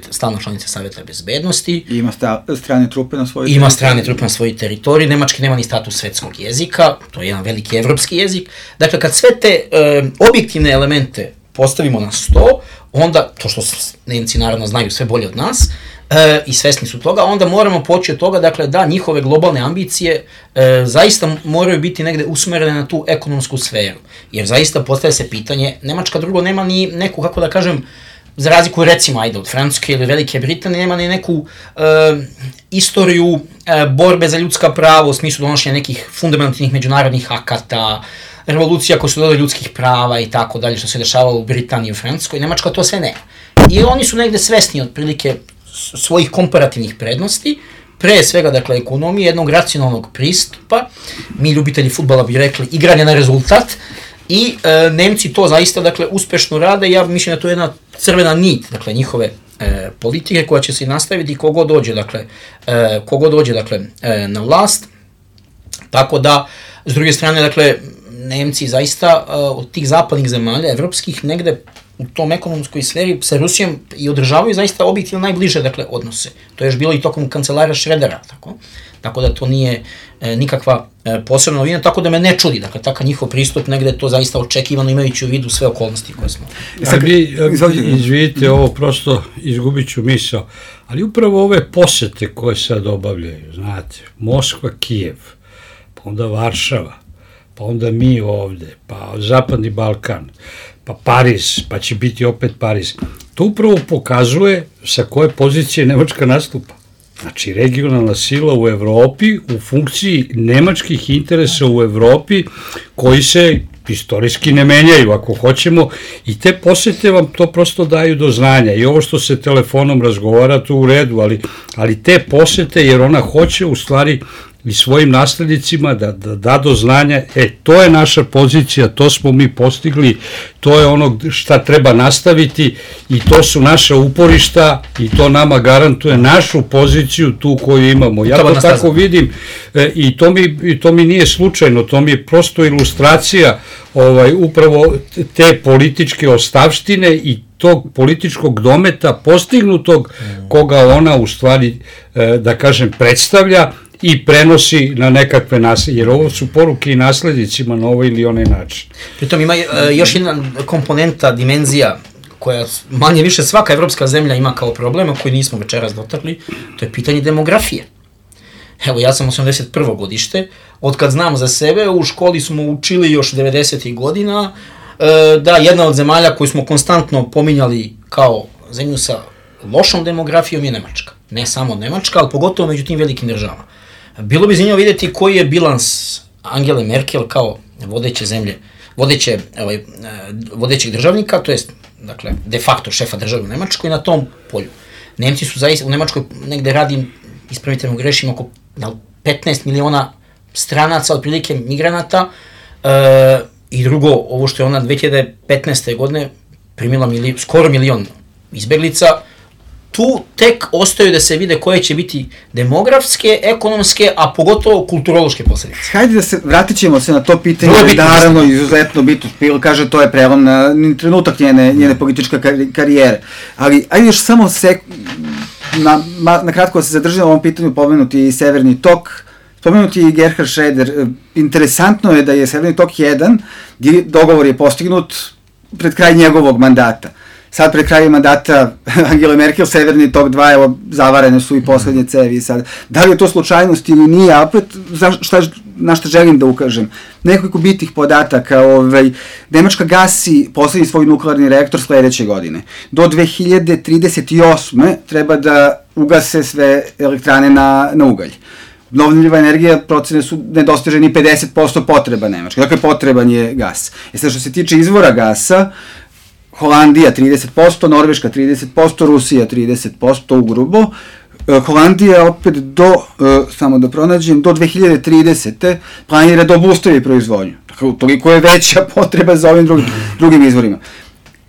stalna članica Saveta bezbednosti. I ima strane trupe na svojoj teritoriji. Ima strane trupe na svojoj teritoriji. Nemački nema ni status svetskog jezika, to je jedan veliki evropski jezik. Dakle, kad sve te objektivne elemente postavimo na sto, onda, to što Nemci naravno znaju sve bolje od nas, i svesni su toga, onda moramo poći od toga, dakle, da njihove globalne ambicije zaista moraju biti negde usmerene na tu ekonomsku sferu. Jer zaista postaje se pitanje, Nemačka drugo nema ni neku, kako da kažem, za razliku recimo, ajde, od Francuske ili Velike Britanije, nema ni neku istoriju borbe za ljudska prava u smislu donošenja nekih fundamentalnih međunarodnih akata, revolucija koje su dodali ljudskih prava i tako dalje, što se dešavalo u Britaniji i u Francuskoj. Nemačka to sve nema. I oni su negde svesni otprilike svojih komparativnih prednosti, pre svega, dakle, ekonomije, jednog racionalnog pristupa, mi ljubitelji fudbala bi rekli igranje na rezultat, i Nemci to zaista, dakle, uspešno rade, i ja mislim da to je jedna crvena nit, dakle, njihove politike koja će se nastaviti kogod dođe, dakle, na vlast. Tako da, s druge strane, dakle, Nemci zaista od tih zapadnih zemalja, evropskih, negde u tom ekonomskoj sferi sa Rusijom i održavaju zaista objektivno najbliže, dakle, odnose. To je još bilo i tokom kancelara Šredera, tako da to nije nikakva posebna novina, tako da me ne čudi, dakle, takav njihov pristup negde je to zaista očekivano imajući u vidu sve okolnosti koje smo. Izvidite, ovo prosto izgubit ću misao, ali upravo ove posete koje sad obavljaju, znate, Moskva, Kijev, pa onda Varšava, pa onda mi ovde, pa Zapadni Balkan, pa Pariz, pa će biti opet Pariz. To upravo pokazuje sa koje pozicije Nemačka nastupa. Znači, regionalna sila u Evropi u funkciji nemačkih interesa u Evropi koji se istorijski ne menjaju, ako hoćemo, i te posete vam to prosto daju do znanja. I ovo što se telefonom razgovara, to u redu, ali te posete, jer ona hoće u stvari i svojim naslednicima da do znanja, to je naša pozicija, to smo mi postigli, to je ono šta treba nastaviti i to su naša uporišta i to nama garantuje našu poziciju tu koju imamo. Ja to tako vidim i to mi nije slučajno, to mi je prosto ilustracija upravo te političke ostavštine i tog političkog dometa postignutog koga ona u stvari, da kažem, predstavlja i prenosi na nekakve nasljednje, jer ovo su poruke i naslednicima na ovaj ili onaj način. Pritom ima još jedna komponenta, dimenzija, koja manje više svaka evropska zemlja ima kao problema, koji nismo večeras dotakli, to je pitanje demografije. Evo, ja sam 81. godište, otkad znam za sebe, u školi smo učili još 90. godina, da jedna od zemalja koju smo konstantno pominjali kao zemlju sa lošom demografijom je Nemačka. Ne samo Nemačka, ali pogotovo među tim velikim državama. Bilo bi zanimljivo vidjeti koji je bilans Angele Merkel kao vodeće zemlje, vodećeg državnika, to jest, dakle, de facto šefa države u Nemačkoj na tom polju. Nemci su zaista, u Nemačkoj negde radi, ispravite me grešim, oko 15 miliona stranaca, otprilike migranata, i drugo, ovo što je ona 2015. godine primila skoro milion izbeglica, tu tek ostaju da se vide koje će biti demografske, ekonomske, a pogotovo kulturološke posledice. Hajde vratit ćemo se na to pitanje, naravno izuzetno bitno, Pil kaže to je prelom na trenutak njene političke karijere, ali ajde još samo na kratko se zadržimo na ovom pitanju, pomenuti i Severni tok, spomenuti i Gerhard Schröder. Interesantno je da je Severni tok 1, dogovor je postignut pred kraj njegovog mandata. Sad pred krajem mandata Angele Merkel, Severni tok 2, evo, zavarene su i poslednje cevi sad. Da li je to slučajnost ili nije, a opet, na šta želim da ukažem? Nekoliko bitnih podataka, Nemačka gasi poslednji svoj nuklearni reaktor sledeće godine. Do 2038. treba da ugase sve elektrane na ugalj. Obnovljiva energija, procene su nedostiže ni 50% potreba Nemačke, dakle potreban je gas. Sad što se tiče izvora gasa, Holandija 30%, Norveška 30%, Rusija 30% ugrubo. Holandija opet samo da pronađem, do 2030. planira da obustavi proizvodnju. Dakle, toliko je veća potreba za ovim drugim izvorima.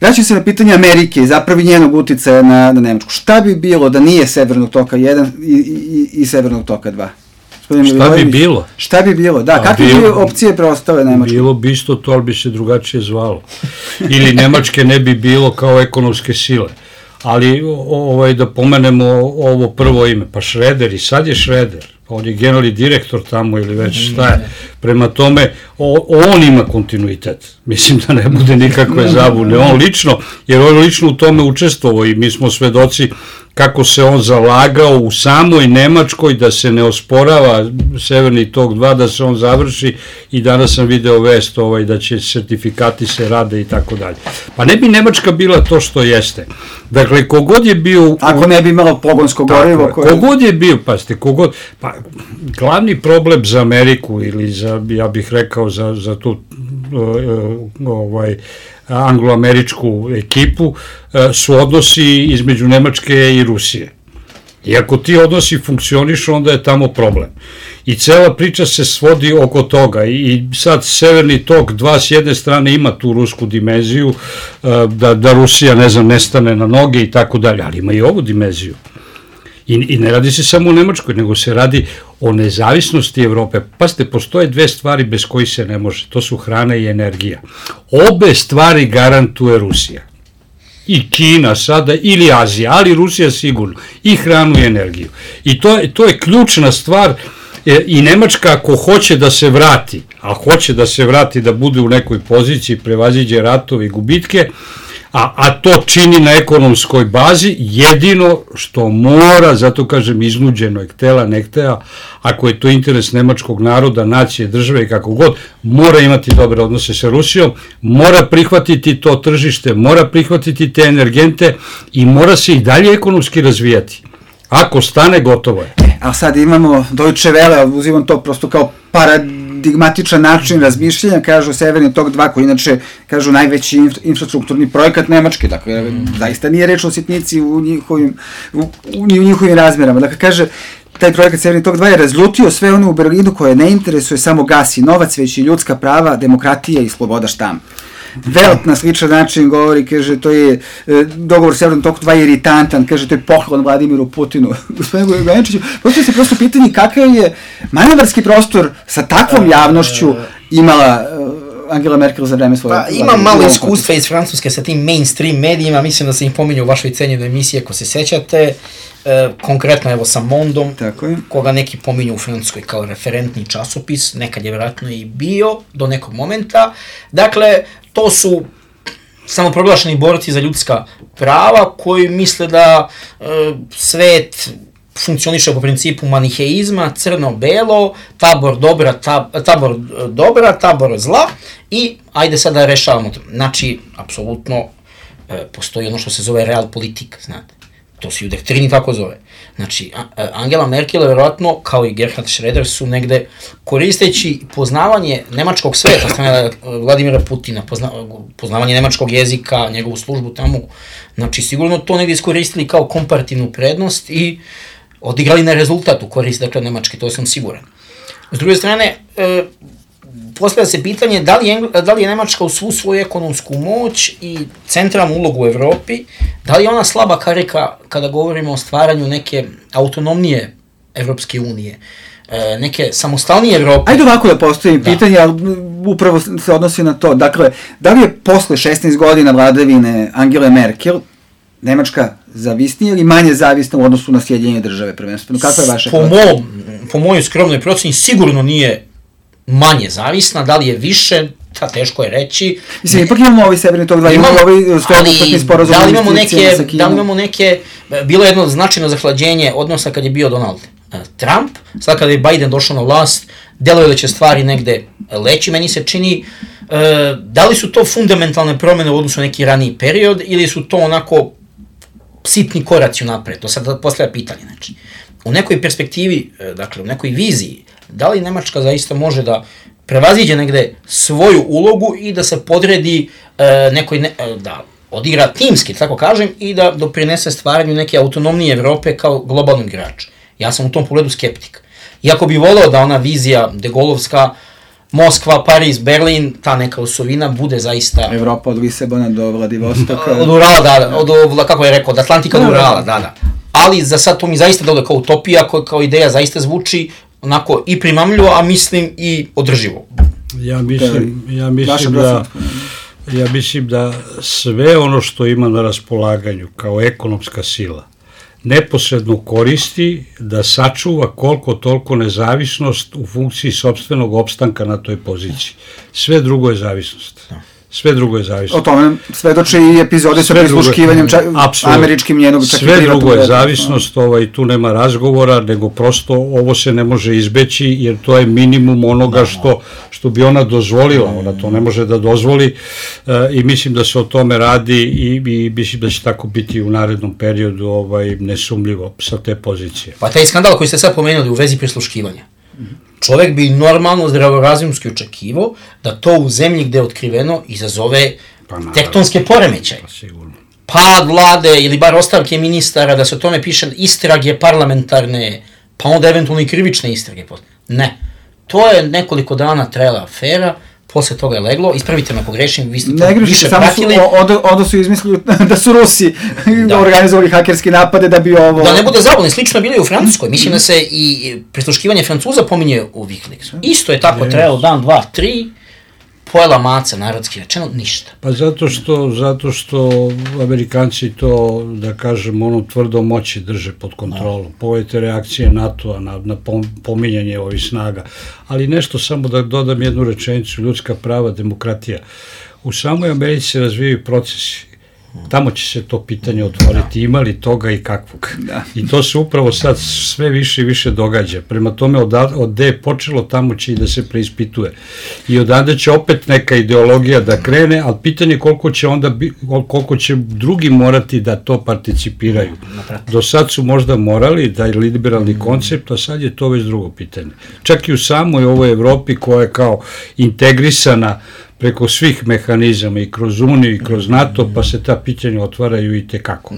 Vraćam se na pitanje Amerike i zapravo njenog uticaja na Nemačku. Šta bi bilo da nije Severnog toka 1 i Severnog toka 2? Šta bi bilo? Šta bi bilo, da. Kakve bi opcije preostale Nemačke? Bilo bi isto to, ali bi se drugačije zvalo. Ili Nemačke ne bi bilo kao ekonomske sile. Ali da pomenemo ovo prvo ime, pa Schröder, i sad je Schröder, on je generalni direktor tamo ili već šta je. Prema tome, on ima kontinuitet. Mislim da ne bude nikakve zabune. On lično, jer on lično u tome učestvovao i mi smo svedoci kako se on zalagao u samoj Nemačkoj da se ne osporava Severni tok 2, da se on završi, i danas sam video vest da će sertifikati se rade i tako dalje. Pa ne bi Nemačka bila to što jeste. Dakle, kogod je bio... Ako ne bi imalo pogonsko gorivo... Kogod je bio, pazite, pa glavni problem za Ameriku ili za, ja bih rekao, za tu anglo-američku ekipu su odnosi između Nemačke i Rusije. I ako ti odnosi funkcionišu, onda je tamo problem. I cela priča se svodi oko toga. I sad Severni tok 2 s jedne strane ima tu rusku dimenziju, da Rusija, nestane na noge i tako dalje, ali ima i ovu dimenziju. I ne radi se samo o Nemačkoj, nego se radi o nezavisnosti Evrope. Pazite, postoje dve stvari bez kojih se ne može. To su hrana i energija. Obe stvari garantuje Rusija. i Kina sada, ili Azija, ali Rusija sigurno, i hranu i energiju. I to je ključna stvar. I Nemačka, ako hoće da se vrati, a hoće da se vrati, da bude u nekoj poziciji, prevaziđe ratove i gubitke, a to čini na ekonomskoj bazi, jedino što mora, zato kažem iznuđeno je htela, ne htela, ako je to interes nemačkog naroda, nacije, države i kako god, mora imati dobre odnose sa Rusijom, mora prihvatiti to tržište, mora prihvatiti te energente i mora se i dalje ekonomski razvijati. Ako stane, gotovo je. A sad imamo Deutsche Welle, uzimam to prosto kao paradigmatičan način razmišljanja, kažu Severni tok 2, koji inače, kažu, najveći infrastrukturni projekat Nemačke, dakle, zaista nije reč o sitnici u njihovim razmerama. Dakle, kaže, taj projekat Severni tok 2 je razljutio sve ono u Berlinu koje ne interesuje samo gas i novac, već i ljudska prava, demokratija i sloboda štampe. Welt na sličan način govori, kaže, to je dogovor Severnog toka 2 je iritantan, kaže, to je poklon Vladimiru Putinu. Gospodine Gojaničiću, postoji se prosto pitanje kakav je manevarski prostor sa takvom javnošću imala Angela Merkel za vreme svoje... Pa ima malo iskustva iz Francuske sa tim mainstream medijima, mislim da se im pominju u vašoj cenjenoj emisiji, ako se sećate, konkretno evo sa Mondom, koga neki pominju u Francuskoj kao referentni časopis, nekad je vjerojatno i bio do nekog momenta. Dakle, to su samoproglašeni borci za ljudska prava koji misle da svet funkcioniše po principu maniheizma, crno-belo, tabor dobra, tabor zla i ajde sad da rešavamo to. Znači, apsolutno postoji ono što se zove realpolitik, znate. To se i u doktrini tako zove. Znači, Angela Merkel, verovatno, kao i Gerhard Schröder, su negde koristeći poznavanje nemačkog sveta, strane Vladimira Putina, poznavanje nemačkog jezika, njegovu službu tamo, znači, sigurno to negde iskoristili kao komparativnu prednost i odigrali na rezultat u korist, dakle, Nemačke, to sam siguran. S druge strane, postavlja se pitanje da li je Nemačka u svu svoju ekonomsku moć i centralnu ulogu u Evropi, da li je ona slaba karika kada govorimo o stvaranju neke autonomnije Evropske unije, neke samostalnije Evrope. Ajde ovako da postavim pitanje, ali upravo se odnosi na to. Dakle, da li je posle 16 godina vladavine Angele Merkel Nemačka zavisnija ili manje zavisna u odnosu na Sjedinjene države prvenstveno? Kakva je vaša procena? Po mojoj skromnoj proceni sigurno nije manje zavisna, da li je više, teško je reći. Mislim, ipak imamo ovaj Severni tok 2, imamo ovaj sveobuhvatni sporazum o investicijama sa Kinom. Da li imamo neke, bilo je jedno značajno zahlađenje odnosa kad je bio Donald Trump, sad kada je Biden došao na vlast, deluje da će stvari negde leći, meni se čini, da li su to fundamentalne promene u odnosu na neki raniji period ili su to onako sitni koraci unapred, to sad postavlja pitanje, znači. U nekoj perspektivi, dakle, u nekoj viziji, da li Nemačka zaista može da prevaziđe negde svoju ulogu i da se podredi da odigra timski, tako kažem, i da doprinese stvaranju neke autonomnije Evrope kao globalnog igrača. Ja sam u tom pogledu skeptik. Iako bi voleo da ona vizija degolovska, Moskva, Pariz, Berlin, ta neka osovina bude zaista... Evropa od Lisabona do Vladivostoka. Od Urala, kako je rekao, od Atlantika do Urala, da. Ali za sad to mi zaista deluje kao utopija, kao ideja zaista zvuči onako i primamljivo, a mislim i održivo. Ja mislim da sve ono što ima na raspolaganju kao ekonomska sila neposredno koristi da sačuva koliko toliko nezavisnost u funkciji sopstvenog opstanka na toj poziciji. Sve drugo je zavisnost. Sve drugo je zavisnost. O tome svedoče i epizode sa prisluškivanjem američkim njenog čak i privatnog. Sve drugo je zavisnost, tu nema razgovora, nego prosto ovo se ne može izbeći, jer to je minimum onoga što bi ona dozvolila. Ona to ne može da dozvoli i mislim da se o tome radi i mislim da će tako biti u narednom periodu nesumljivo sa te pozicije. Pa taj skandal koji ste sad pomenuli u vezi prisluškivanja, čovek bi normalno zdravorazumski očekivao da to u zemlji gde je otkriveno izazove tektonske poremećaje. Pad vlade ili bar ostavke ministara, da se o tome piše istrage parlamentarne, pa onda eventualno i krivične istrage. Ne. To je nekoliko dana trajala afera, posle toga je leglo, ispravite me ako grešim, vi ste to više pratili. Onda su izmislili da su Rusi organizovali hakerski napade da bi ovo... Da ne bude zabavno, slično je bilo i u Francuskoj, mislim da se i prisluškivanje Francuza pominje u Wikileaksu. Isto je tako trajalo dan, dva, tri, pojela maca, narodski rečeno, ništa. Pa zato što Amerikanci to, da kažem, ono tvrdo moći drže pod kontrolom. Pogledajte reakcije NATO-a na pominjanje ovih snaga. Ali nešto, samo da dodam jednu rečenicu, ljudska prava, demokratija. U samoj Americi se razvijaju procesi. Tamo će se to pitanje otvoriti, ima li toga i kakvog. I to se upravo sad sve više i više događa. Prema tome, od gde je počelo, tamo će i da se preispituje. I odande će opet neka ideologija da krene, ali pitanje koliko će drugi morati da to participiraju. Do sad su možda morali, da je liberalni koncept, a sad je to već drugo pitanje. Čak i u samoj ovoj Evropi koja je kao integrisana preko svih mehanizama i kroz Uniju i kroz NATO, pa se ta pitanja otvaraju i tekako.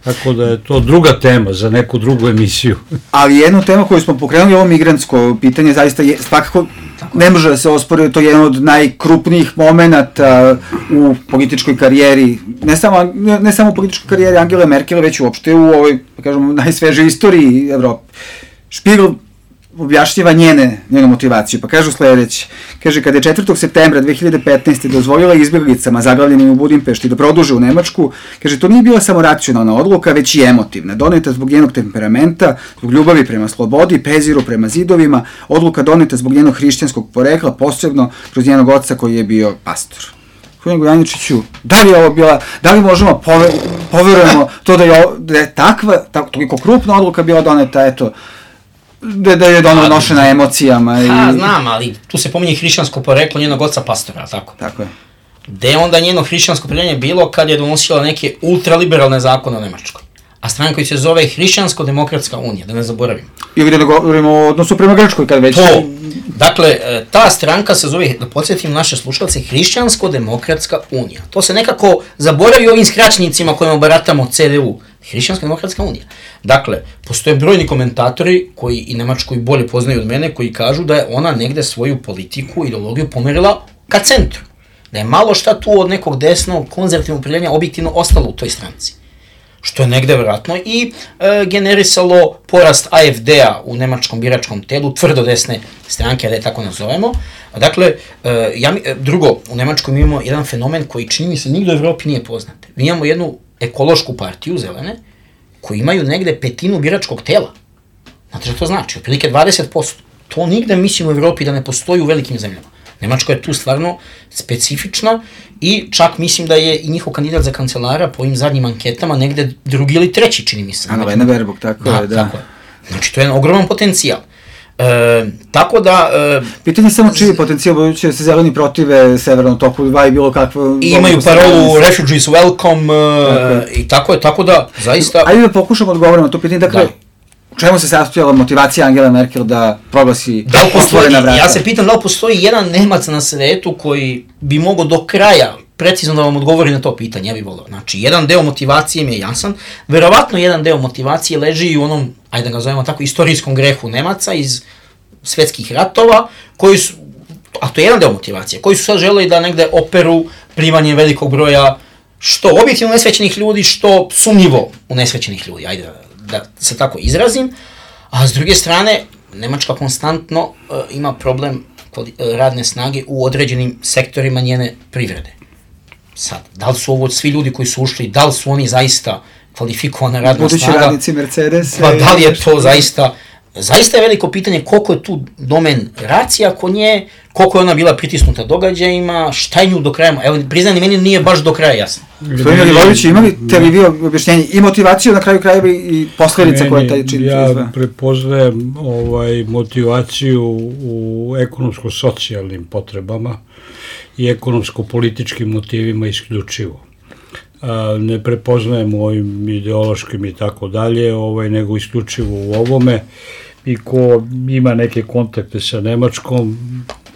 Tako da je to druga tema za neku drugu emisiju. Ali jednu temu koju smo pokrenuli, ovo migrantsko pitanje, zaista je, svakako ne može da se ospori, to je jedan od najkrupnijih momenata u političkoj karijeri, ne samo u političkoj karijeri Angele Merkel, već uopšte u ovoj, kažemo, najsvežoj istoriji Evrope. Spiegel objašnjava njenu motivaciju, pa kažu sledeće. Kaže, kada je 4. septembra 2015. dozvolila izbjeglicama zaglavljenim u Budimpešti da produže u Nemačku, kaže, to nije bila samo racionalna odluka, već i emotivna, doneta zbog njenog temperamenta, zbog ljubavi prema slobodi, preziru prema zidovima, odluka doneta zbog njenog hrišćanskog porekla, posebno kroz njenog oca koji je bio pastor. Gospodin Gojaničiću, da li možemo poverujemo to da je takva, toliko krupna odluka bila doneta, eto, da je donošena emocijama. Znam, ali tu se pominje hrišćansko poreklo njenog oca pastora, tako? Tako je. Gde je onda njeno hrišćansko poreklo bilo kad je donosila neke ultraliberalne zakone o Nemačkoj? A stranka koji se zove Hrišćansko-demokratska unija, da ne zaboravimo. Ili da govorimo o odnosu prema Grčkoj, kad već... To, dakle, ta stranka se zove, da podsjetim naše slušalce, Hrišćansko-demokratska unija. To se nekako zaboravi ovim skraćnicima kojima baratamo CDU. Hrišćansko-demokratska unija. Dakle, postoje brojni komentatori koji i Nemačku i bolje poznaju od mene, koji kažu da je ona negde svoju politiku i ideologiju pomerila ka centru. Da je malo šta tu od nekog desnog konzervativnog opredeljenja objektivno ostalo u toj stranci. Što je negde vjerojatno i generisalo porast AfD-a u nemačkom biračkom telu, tvrdo desne stranke, da je tako nazovemo. Dakle, drugo, u Nemačkoj mi imamo jedan fenomen koji čini mi se nigde u Evropi nije poznat. Mi imamo jednu ekološku partiju, zelene, koji imaju negde 1/5 biračkog tela. Znate što to znači? Otprilike 20%. To nigde, mislim, u Evropi da ne postoji u velikim zemljama. Nemačka je tu stvarno specifična i čak mislim da je i njihov kandidat za kancelara po ovim zadnjim anketama negde drugi ili treći, čini mi se. Annalena Baerbock, tako je, da. Znači, to je jedan ogroman potencijal. Tako da... Pitanje je samo čiji je potencijal, budući da se zeleni protive Severnom toku 2 i bilo kakvo... I imaju parolu Refugees Welcome i tako da, zaista... Ajde da pokušamo odgovoriti na to pitanje, dakle, u čemu se sastojala motivacija Angele Merkel da proglasi otvorena vrata? Ja se pitam da li postoji jedan Nemac na svetu koji bi mogao do kraja precizno da vam odgovori na to pitanje, ja bih volio. Znači, jedan deo motivacije mi je jasan, verovatno jedan deo motivacije leži i u onom, ajde da ga zovemo tako, istorijskom grehu Nemaca iz svetskih ratova, koji su, a to je jedan deo motivacije, koji su sad želeli da negde operu primanje velikog broja što objektivno nesvećenih ljudi, što sumnjivo unesvećenih ljudi, ajde da se tako izrazim, a s druge strane, Nemačka konstantno ima problem radne snage u određenim sektorima njene privrede. Sad, da li su ovo svi ljudi koji su ušli, da li su oni zaista kvalifikovana radna snaga? Budući radnici Mercedes. Pa da li je to zaista je veliko pitanje koliko je tu domen racija kod nje, koliko je ona bila pritisnuta događajima, šta je nju do kraja, evo priznani meni nije baš do kraja jasno. Gospodin Milivojević, imali vi objašnjenje i motivaciju na kraju krajeva i posledica koja taj čini? Ja prepoznajem motivaciju u ekonomsko-socijalnim potrebama i ekonomsko-političkim motivima isključivo. Ne prepoznajem u ovim ideološkim i tako dalje, nego isključivo u ovome. I ko ima neke kontakte sa Nemačkom,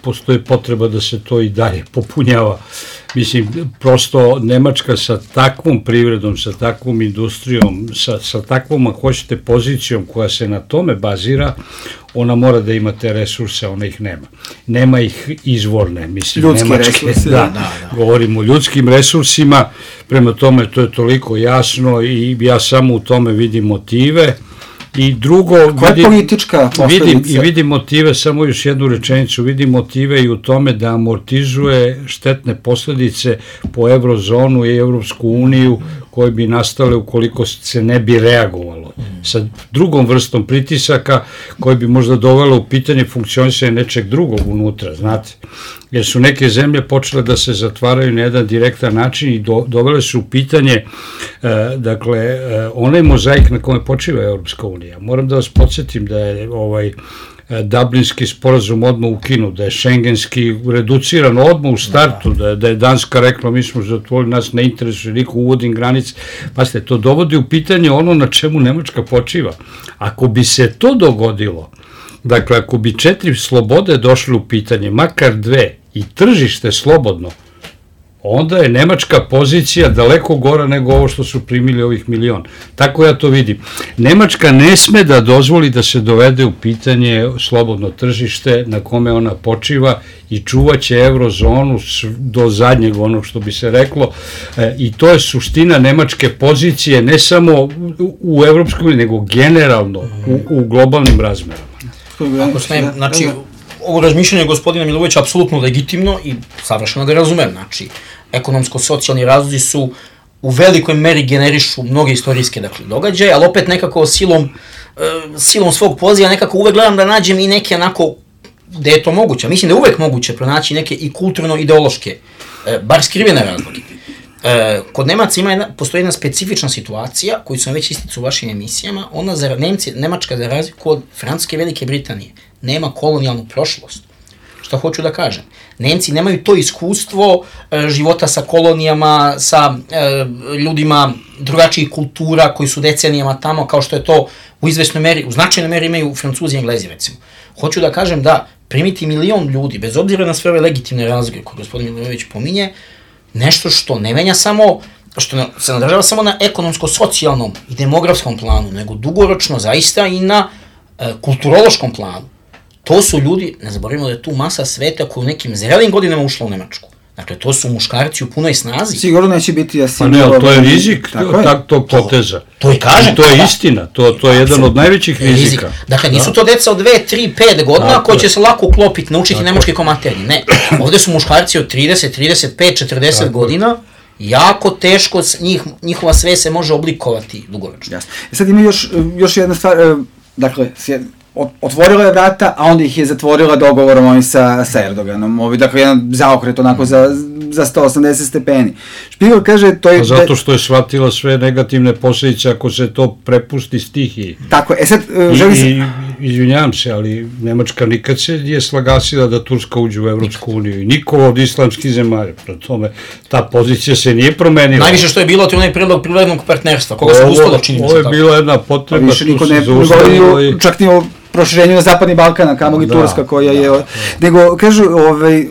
postoji potreba da se to i dalje popunjava. Mislim, prosto Nemačka sa takvom privredom, sa takvom industrijom, sa takvom, ako hoćete, pozicijom koja se na tome bazira, ona mora da ima te resurse, ona ih nema. Nema ih izvorne, mislim, ljudski Nemačke. Resursi, da. Govorimo o ljudskim resursima, prema tome to je toliko jasno i ja samo u tome vidim motive I drugo, vidim motive, samo još jednu rečenicu, vidim motive i u tome da amortizuje štetne posledice po eurozonu i Evropsku uniju koje bi nastale ukoliko se ne bi reagovalo sa drugom vrstom pritisaka koje bi možda dovelo u pitanje funkcionisanje nečeg drugog unutra, znate. Jer su neke zemlje počele da se zatvaraju na jedan direktan način i dovele su u pitanje, dakle, onaj mozaik na kome počiva Evropska unija. Moram da vas podsjetim da je Dublinski sporazum odmah ukinut, da je šengenski reduciran odmah u startu, da je Danska rekla mi smo zatvorili, nas ne interesuje, niko uvodim granice. Pazite, to dovodi u pitanje ono na čemu Nemačka počiva. Ako bi se to dogodilo, dakle, ako bi 4 slobode došle u pitanje, makar 2, i tržište slobodno, onda je nemačka pozicija daleko gora nego ovo što su primili ovih 1 milion. Tako ja to vidim. Nemačka ne sme da dozvoli da se dovede u pitanje slobodno tržište na kome ona počiva i čuvaće eurozonu do zadnjeg onog što bi se reklo i to je suština nemačke pozicije ne samo u Evropskoj uniji, nego generalno u globalnim razmerama. Ako smijem, znači, ovo razmišljanje gospodina Milovića je apsolutno legitimno i savršeno ga razumem, znači, ekonomsko-socijalni razlozi su u velikoj meri generišu mnoge istorijske događaje, ali opet nekako silom svog poziva nekako uvek gledam da nađem i neke onako, gde je to moguće, mislim da je uvek moguće pronaći neke i kulturno-ideološke, bar skrivene razloge. Kod Nemaca postoji jedna specifična situacija koju sam već isticao u vašim emisijama, Nemačka za razliku od Francuske i Velike Britanije nema kolonijalnu prošlost. Šta hoću da kažem? Nemci nemaju to iskustvo života sa kolonijama, sa ljudima drugačijih kultura koji su decenijama tamo, kao što je to u izvesnoj meri, u značajnoj meri imaju Francuzi i Englezi, recimo. Hoću da kažem da primiti 1 milion ljudi, bez obzira na sve ove legitimne razloge koje gospodin Milojević pominje, nešto što ne menja samo, što se nadražava samo na ekonomsko-socijalnom i demografskom planu, nego dugoročno zaista i na kulturološkom planu. To su ljudi, ne zaboravimo da je tu masa sveta koja u nekim zrelim godinama ušla u Nemačku. Dakle, to su muškarci u punoj snazi. Sigurno neće biti Pa ne, ali to je rizik tog poteza. To i kažem. To je istina, to je jedan od najvećih rizika. Dakle, nisu to deca od 2, 3, 5 godina koji će se lako uklopiti, naučiti nemačke komaterije. Ne, ovde su muškarci od 30, 35, 40 godina, jako teško njihova sve se može oblikovati dugoročno. Jasno. Sad ima još jedna stvar, dakle, otvorila je vrata, a onda ih je zatvorila dogovorom oni sa Erdoganom. Dakle, jedan zaokret onako za 180 stepeni. Špigel kaže to je... Zato što je shvatila sve negativne posljedice ako se to prepusti stihiji. Tako, sad želi se... Izvinjavam se, ali Nemačka nikad se nije slagasila da Turska uđe u Evropsku uniju i niko od islamskih zemalja. Pro tome, ta pozicija se nije promenila. Najviše što je bilo, to je onaj predlog prirodnog partnerstva, koga se uspelo činiti. Ovo je bila jedna potreba, više niko ne govorio, čak ni o proširenju na Zapadni Balkan, a kamoli Turska koja je... Nego, kažu,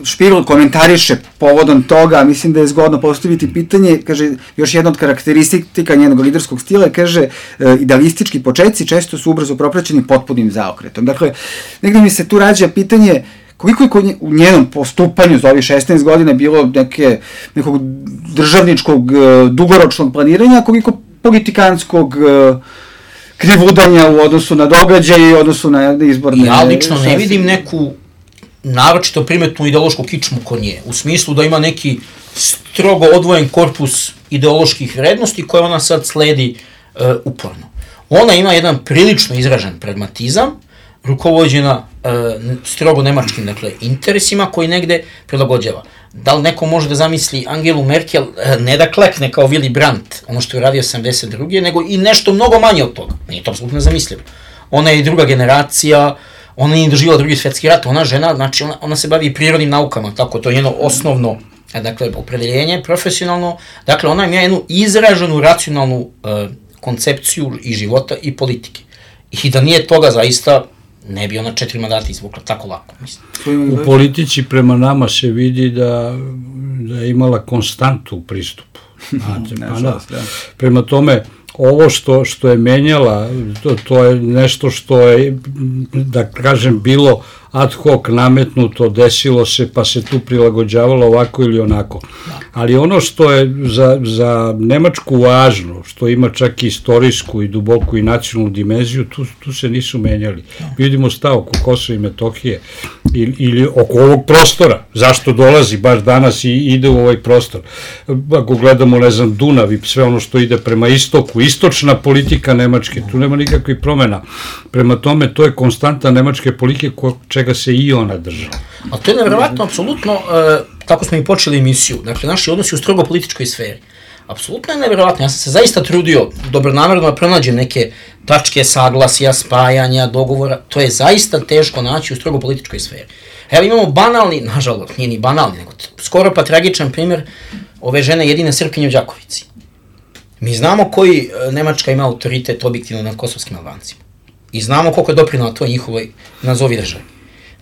Špigel komentariše povodom toga, mislim da je zgodno postaviti pitanje, kaže, još jedna od karakteristika njenog liderskog stila, kaže, idealistički početci često su ubrzo propraćeni potpunim zaokretom. Dakle, negde mi se tu rađa pitanje koliko je u njenom postupanju za ovih 16 godina bilo nekog državničkog dugoročnog planiranja, koliko politikanskog krivudanja u odnosu na događaje i u odnosu na izborne... Ja lično ne vidim neku naročito primetnu ideološku kičmu kod nje, u smislu da ima neki strogo odvojen korpus ideoloških vrednosti koje ona sad sledi uporno. Ona ima jedan prilično izražen pragmatizam, rukovođena strogo nemačkim, dakle, interesima koji negde prilagođava. Da li neko može da zamisli Angelu Merkel ne da klekne kao Willy Brandt, ono što je uradio 72. nego i nešto mnogo manje od toga. Nije to apsolutno nezamislivo. Ona je druga generacija, ona nije doživjela Drugi svjetski rat, ona žena, znači ona se bavi prirodnim naukama, tako to je njeno osnovno, dakle, opredeljenje profesionalno, dakle, ona ima jednu izraženu racionalnu koncepciju i života i politike. I da nije toga zaista ne bi ona 4 mandata izvukla tako lako, mislim. U politici prema nama se vidi da je imala konstantu u pristupu. Prema tome, ovo što je menjala, to je nešto što je, da kažem, bilo ad hoc nametnuto, desilo se, pa se tu prilagođavalo ovako ili onako. Ali ono što je za Nemačku važno, što ima čak i istorijsku i duboku i nacionalnu dimenziju, tu se nisu menjali. Vidimo stav oko Kosova i Metohije ili oko ovog prostora. Zašto dolazi baš danas i ide u ovaj prostor? Ako gledamo, ne znam, Dunav i sve ono što ide prema istoku, istočna politika Nemačke, tu nema nikakvih promena. Prema tome, to je konstanta nemačke politike čega se i ona držala. A to je nevjerovatno, apsolutno, tako smo i počeli emisiju, dakle, naši odnosi u strogo političkoj sferi. Apsolutno je nevjerovatno, ja sam se zaista trudio dobronamerno da pronađem neke tačke saglasja, spajanja, dogovora, to je zaista teško naći u strogo političkoj sferi. Evo imamo banalni, nažalost, nije ni banalni, nego skoro pa tragičan primjer ove žene jedine Srpkinje u Đakovici. Mi znamo koji Nemačka ima autoritet objektivno nad kosovskim Albancima. I znamo koliko je doprinala to njihovoj nazovi državi.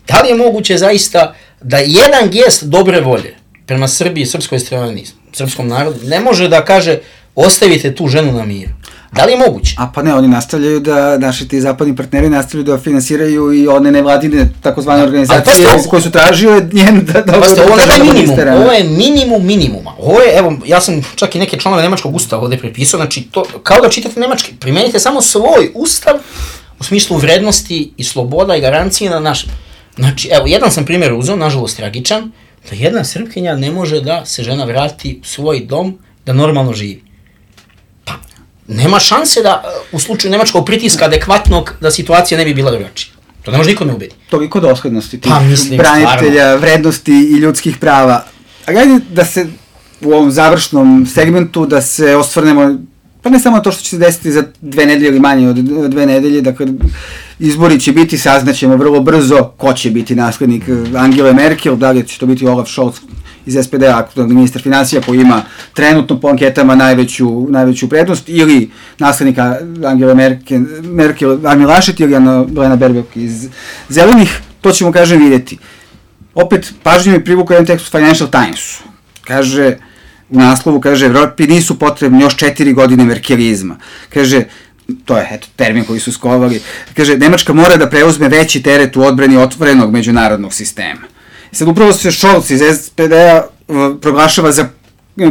Da li je moguće zaista da jedan gest dobre volje prema Srbiji, srpskoj strani, srpskom narodu, ne može da kaže ostavite tu ženu na miru? Da li je moguće? A pa ne, oni nastavljaju da, naši ti zapadni partneri nastavljaju da finansiraju i one nevladine takozvane organizacije koje su tražile njen da ovo je minimum minimuma. Ovo je, evo, ja sam čak i neke članove nemačkog ustava ovde prepisao, znači to, kao da čitate nemački, primenite samo svoj ustav u smislu vrednosti i sloboda i garancije na našem. Znači, evo, jedan sam primjer uzeo, nažalost tragičan, da jedna Srpkinja ne može da se žena vrati u svoj dom, da normalno živi. Pa, nema šanse da u slučaju nemačkog pritiska adekvatnog da situacija ne bi bila drugačija. To ne može niko me ubedi. Toliko doslednosti tih branitelja, vrednosti i ljudskih prava. A gledaj da se u ovom završnom segmentu da se osvrnemo, pa ne samo to što će se desiti za 2 nedelje ili manje od 2 nedelje, dakle, izbori će biti, saznaćemo vrlo brzo ko će biti naslednik Angele Merkel, da li će to biti Olaf Scholz iz SPD-a, aktualni ministar finansija koji ima trenutno po anketama najveću prednost, ili naslednika Angele Merkel, Armin Laschet ili Annalena Baerbock iz Zelenih, to ćemo, kažem, vidjeti. Opet, pažnje mi privukao jedan tekst u Financial Timesu. Kaže, u naslovu, kaže, Evropi nisu potrebni još 4 godine merkelizma. Kaže, to je, eto, termin koji su skovali, kaže, Nemačka mora da preuzme veći teret u odbrani otvorenog međunarodnog sistema. Sad, upravo se Scholz iz SPD-a proglašava za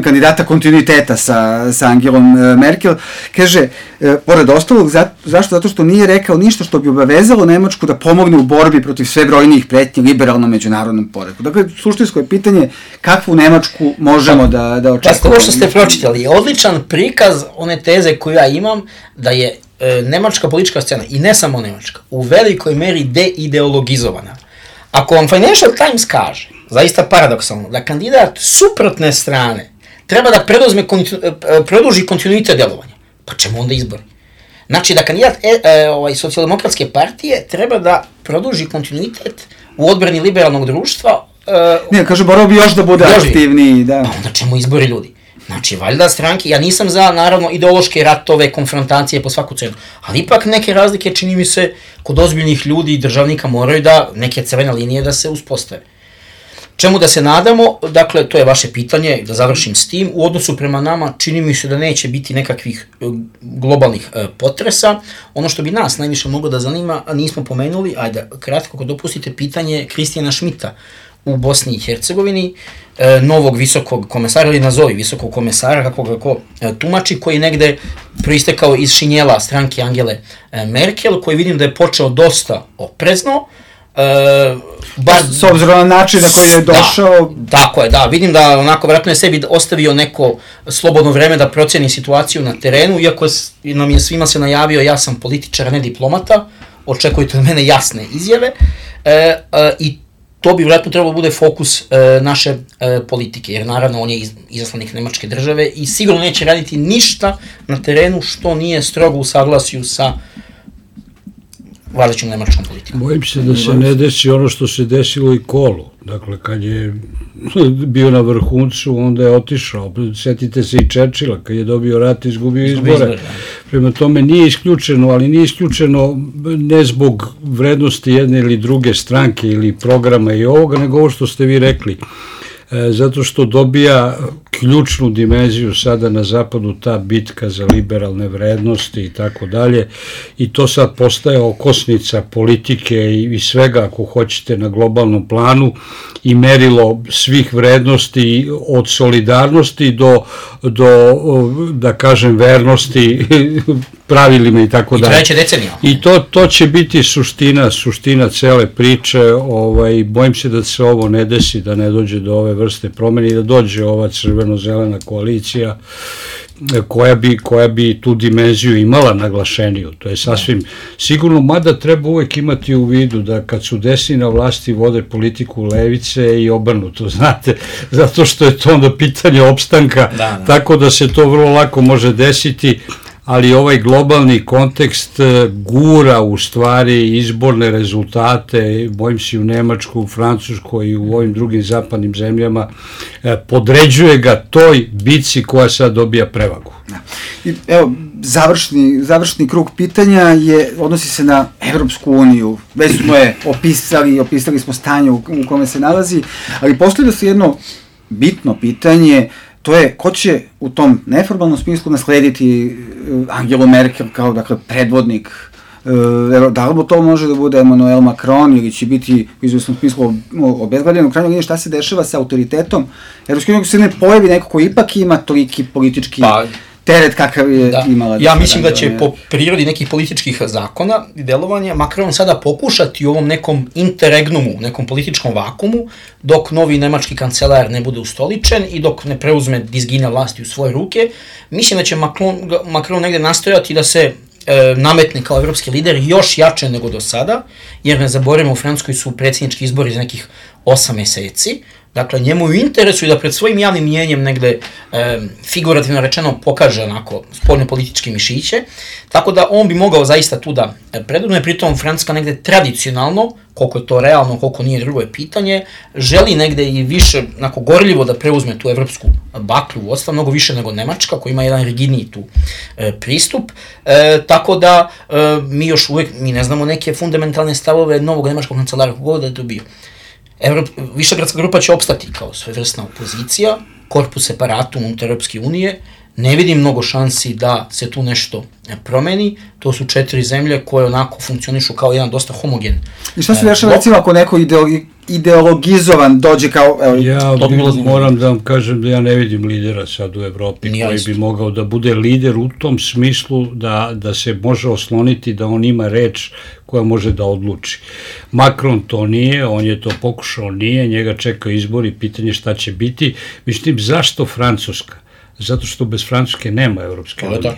kandidata kontinuiteta sa Angelom Merkel, kaže, pored ostalog, zašto? Zato što nije rekao ništa što bi obavezalo Nemačku da pomogne u borbi protiv sve brojnijih pretnji liberalnom međunarodnom poretku. Dakle, suštinsko je pitanje kakvu Nemačku možemo da očekujemo. Pa, ovo što ste pročitali je odličan prikaz one teze koju ja imam, da je nemačka politička scena, i ne samo nemačka, u velikoj meri deideologizovana. Ako vam Financial Times kaže, zaista paradoksalno, da kandidat suprotne strane treba da produži kontinuitet delovanja, pa čemu onda izbori? Znači da kandidat socijaldemokratske partije treba da produži kontinuitet u odbrani liberalnog društva. Ne, kaže, morao bi još da bude aktivniji. Da. Pa onda čemu izbori ljudi? Znači, valjda stranke, ja nisam za, naravno, ideološke ratove, konfrontacije po svaku cenu, ali ipak neke razlike, čini mi se, kod ozbiljnih ljudi i državnika moraju da, neke crvene linije da se uspostave. Čemu da se nadamo, dakle, to je vaše pitanje, da završim s tim, u odnosu prema nama čini mi se da neće biti nekakvih globalnih potresa. Ono što bi nas najviše moglo da zanima, a nismo pomenuli, ajde, kratko, ako dopustite, pitanje Kristijana Šmita u Bosni i Hercegovini, novog visokog komesara, ili nazovi visokog komesara, kako ga ko tumači, koji negde proistekao iz šinjela stranke Angele Merkel, koji vidim da je počeo dosta oprezno, s obzirom na način na koji je došao. Tako je, da, vidim da onako vjerojatno je sebi ostavio neko slobodno vreme da proceni situaciju na terenu, iako nam je svima se najavio ja sam političar, a ne diplomata, očekujte od mene jasne izjave, i to bi vjerojatno trebalo bude fokus naše politike, jer naravno on je izaslanik Nemačke države i sigurno neće raditi ništa na terenu što nije strogo u saglasju sa vladajućom nemačkom politikom. Bojim se da se ne desi ono što se desilo i Kolu. Dakle, kad je bio na vrhuncu, onda je otišao. Sjetite se i Churchilla, kad je dobio rat, izgubio izbore. Prema tome nije isključeno, ali nije isključeno ne zbog vrednosti jedne ili druge stranke ili programa i ovoga, nego ovo što ste vi rekli. Zato što dobija ključnu dimenziju sada na zapadu, ta bitka za liberalne vrednosti i tako dalje, i to sad postaje okosnica politike i svega, ako hoćete, na globalnom planu i merilo svih vrednosti od solidarnosti do da kažem, vernosti pravilima i tako dalje. I treće decenija. I to će biti suština cele priče. Bojim se da se ovo ne desi, da ne dođe do ove vrste promene i da dođe ova crveno-zelena koalicija koja bi tu dimenziju imala naglašeniju. To je sasvim sigurno, mada treba uvek imati u vidu da kad su desni na vlasti vode politiku levice i obrnuto, znate, zato što je to onda pitanje opstanka, tako da se to vrlo lako može desiti, ali ovaj globalni kontekst gura u stvari izborne rezultate, bojim se, u Nemačkoj, u Francuskoj i u ovim drugim zapadnim zemljama, podređuje ga toj bici koja sad dobija prevagu. I evo, završni krug pitanja odnosi se na Evropsku uniju. Već smo je opisali smo stanje u kome se nalazi, ali postavlja se jedno bitno pitanje. To je, ko će u tom neformalnom smislu naslediti Angelu Merkel kao, dakle, predvodnik? Da li to može da bude Emmanuel Macron ili će biti u izvesnom smislu obezglavljeno? U krajnjoj liniji, šta se dešava sa autoritetom Evropske unije, ako se ne pojavi neko ko ipak ima toliki politički teret kakav je imala. Ja mislim da će po prirodi nekih političkih zakona i delovanja Macron sada pokušati u ovom nekom interregnumu, nekom političkom vakumu, dok novi nemački kancelar ne bude ustoličen i dok ne preuzme dizgina vlasti u svoje ruke. Mislim da će Macron negde nastojati da se nametne kao evropski lider još jače nego do sada, jer ne zaboravimo, u Francuskoj su predsjednički izbori za nekih 8 meseci. Dakle, njemu je u interesu i da pred svojim javnim mjenjem negde figurativno rečeno pokaže onako spoljno političke mišiće, tako da on bi mogao zaista tu da predvodne, pritom Francuska negde tradicionalno, koliko je to realno, koliko nije, drugo je pitanje, želi negde i više onako gorljivo da preuzme tu evropsku baklju vodstva, mnogo više nego Nemačka, koja ima jedan rigidniji tu pristup, tako da mi još uvek, mi ne znamo neke fundamentalne stavove novog nemačkog kancelara, kogoda je to bio. Višegradska grupa će opstati kao svevrsna opozicija, korpus separatum unutar Europske unije, ne vidim mnogo šansi da se tu nešto promeni, to su 4 zemlje koje onako funkcionišu kao jedan dosta homogen. I šta se dešava, recimo, ako neko ideologizovan dođe kao... Ja moram da vam kažem da ja ne vidim lidera sad u Evropi koji bi mogao da bude lider u tom smislu da se može osloniti da on ima reč koja može da odluči. Macron to nije, on je to pokušao, nije, njega čeka izbori, pitanje šta će biti. Mislim, zašto Francuska? Zato što bez Francuske nema Evropske unije.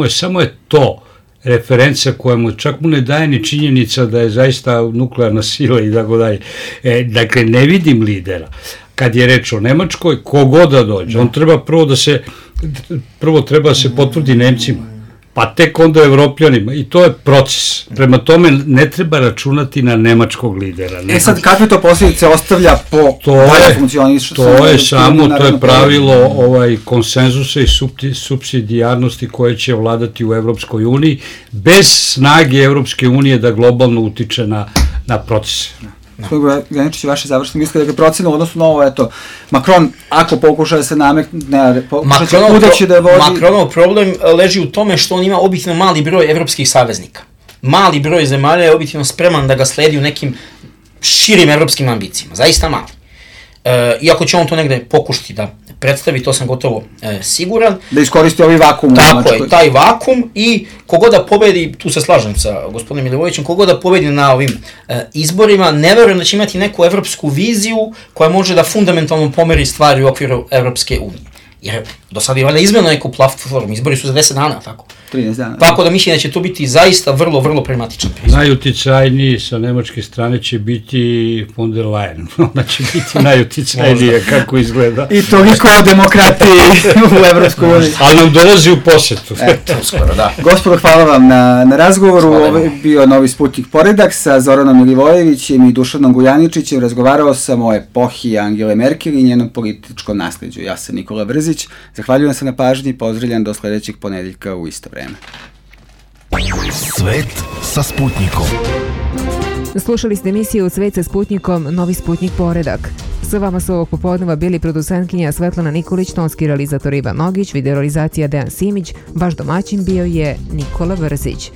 Samo je to referencija koja mu čak mu ne daje ni činjenica da je zaista nuklearna sila i tako dalje. Dakle, ne vidim lidera. Kad je reč o Nemačkoj, kogod da dođe, on treba prvo treba da se potvrdi Nemcima, pa tek onda Evropljanima, i to je proces. Prema tome ne treba računati na nemačkog lidera. Sad, kakve to posljedice ostavlja po dalje funkcionišu? To je pravilo konsenzusa i supsidijarnosti koje će vladati u Evropskoj uniji, bez snage Evropske unije da globalno utiče na procese. Gospodin Graničić, vaše završne misle, dakle, procena u odnosu na ovo, eto, Macron, ako pokuša da se nametne, pokuša će kuda će da vodi... Macronov problem leži u tome što on ima objektivno mali broj evropskih saveznika. Mali broj zemalja je objektivno spreman da ga sledi u nekim širim evropskim ambicijama, zaista mali. Iako će on to negde pokušati da predstavi, to sam gotovo siguran. Da iskoristi ovaj vakum. Tako je, taj vakum, i kogod da pobedi, tu se slažem sa gospodinom Milivojevićem, kogod da pobedi na ovim izborima, ne verujem da će imati neku evropsku viziju koja može da fundamentalno pomeri stvari u okviru Evropske unije. Jer do sada je valjda izmeno neku platformu, izbori su za 10 dana, tako? 13 dana. Tako da mislim da će to biti zaista vrlo, vrlo pragmatičan pristup. Najuticajniji sa nemačke strane će biti von der Leyen. Ona će biti najuticajnija kako izgleda. I toliko o demokratiji u Evropskoj uniji. Ali nam dolazi u posetu. Uskoro, da. Gospodo, hvala vam na razgovoru. Ovo je bio Novi Sputnik Poredak sa Zoranom Milivojevićem i Dušanom Gujaničićem. Razgovarao sam o epohi Angele Merkel i njenom političkom nasleđu. Ja sam Nikola Brzić. Zahvaljujem se na pažnji i pozdravljam do sledećeg ponedeljka u isto vreme. Svet sa Sputnikom. Slušali ste emisiju Svet sa Sputnikom, Novi Sputnik Poredak. Sa vama su ovog popodneva bili producentkinja Svetlana Nikolić, tonski realizator Ivan Nogić, videorealizacija Dejan Simić, vaš domaćin bio je Nikola Vrzić.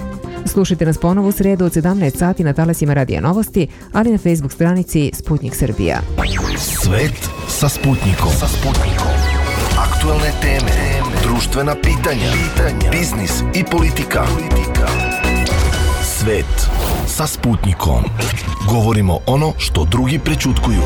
Slušajte nas ponovo u sredu od 17 sati na talasima Radija Novosti, ali na Facebook stranici Sputnik Srbija. Svet sa Sputnikom. Aktuelne teme, društvena pitanja, biznis i politika. Svet sa Sputnikom. Govorimo ono što drugi prećutkuju.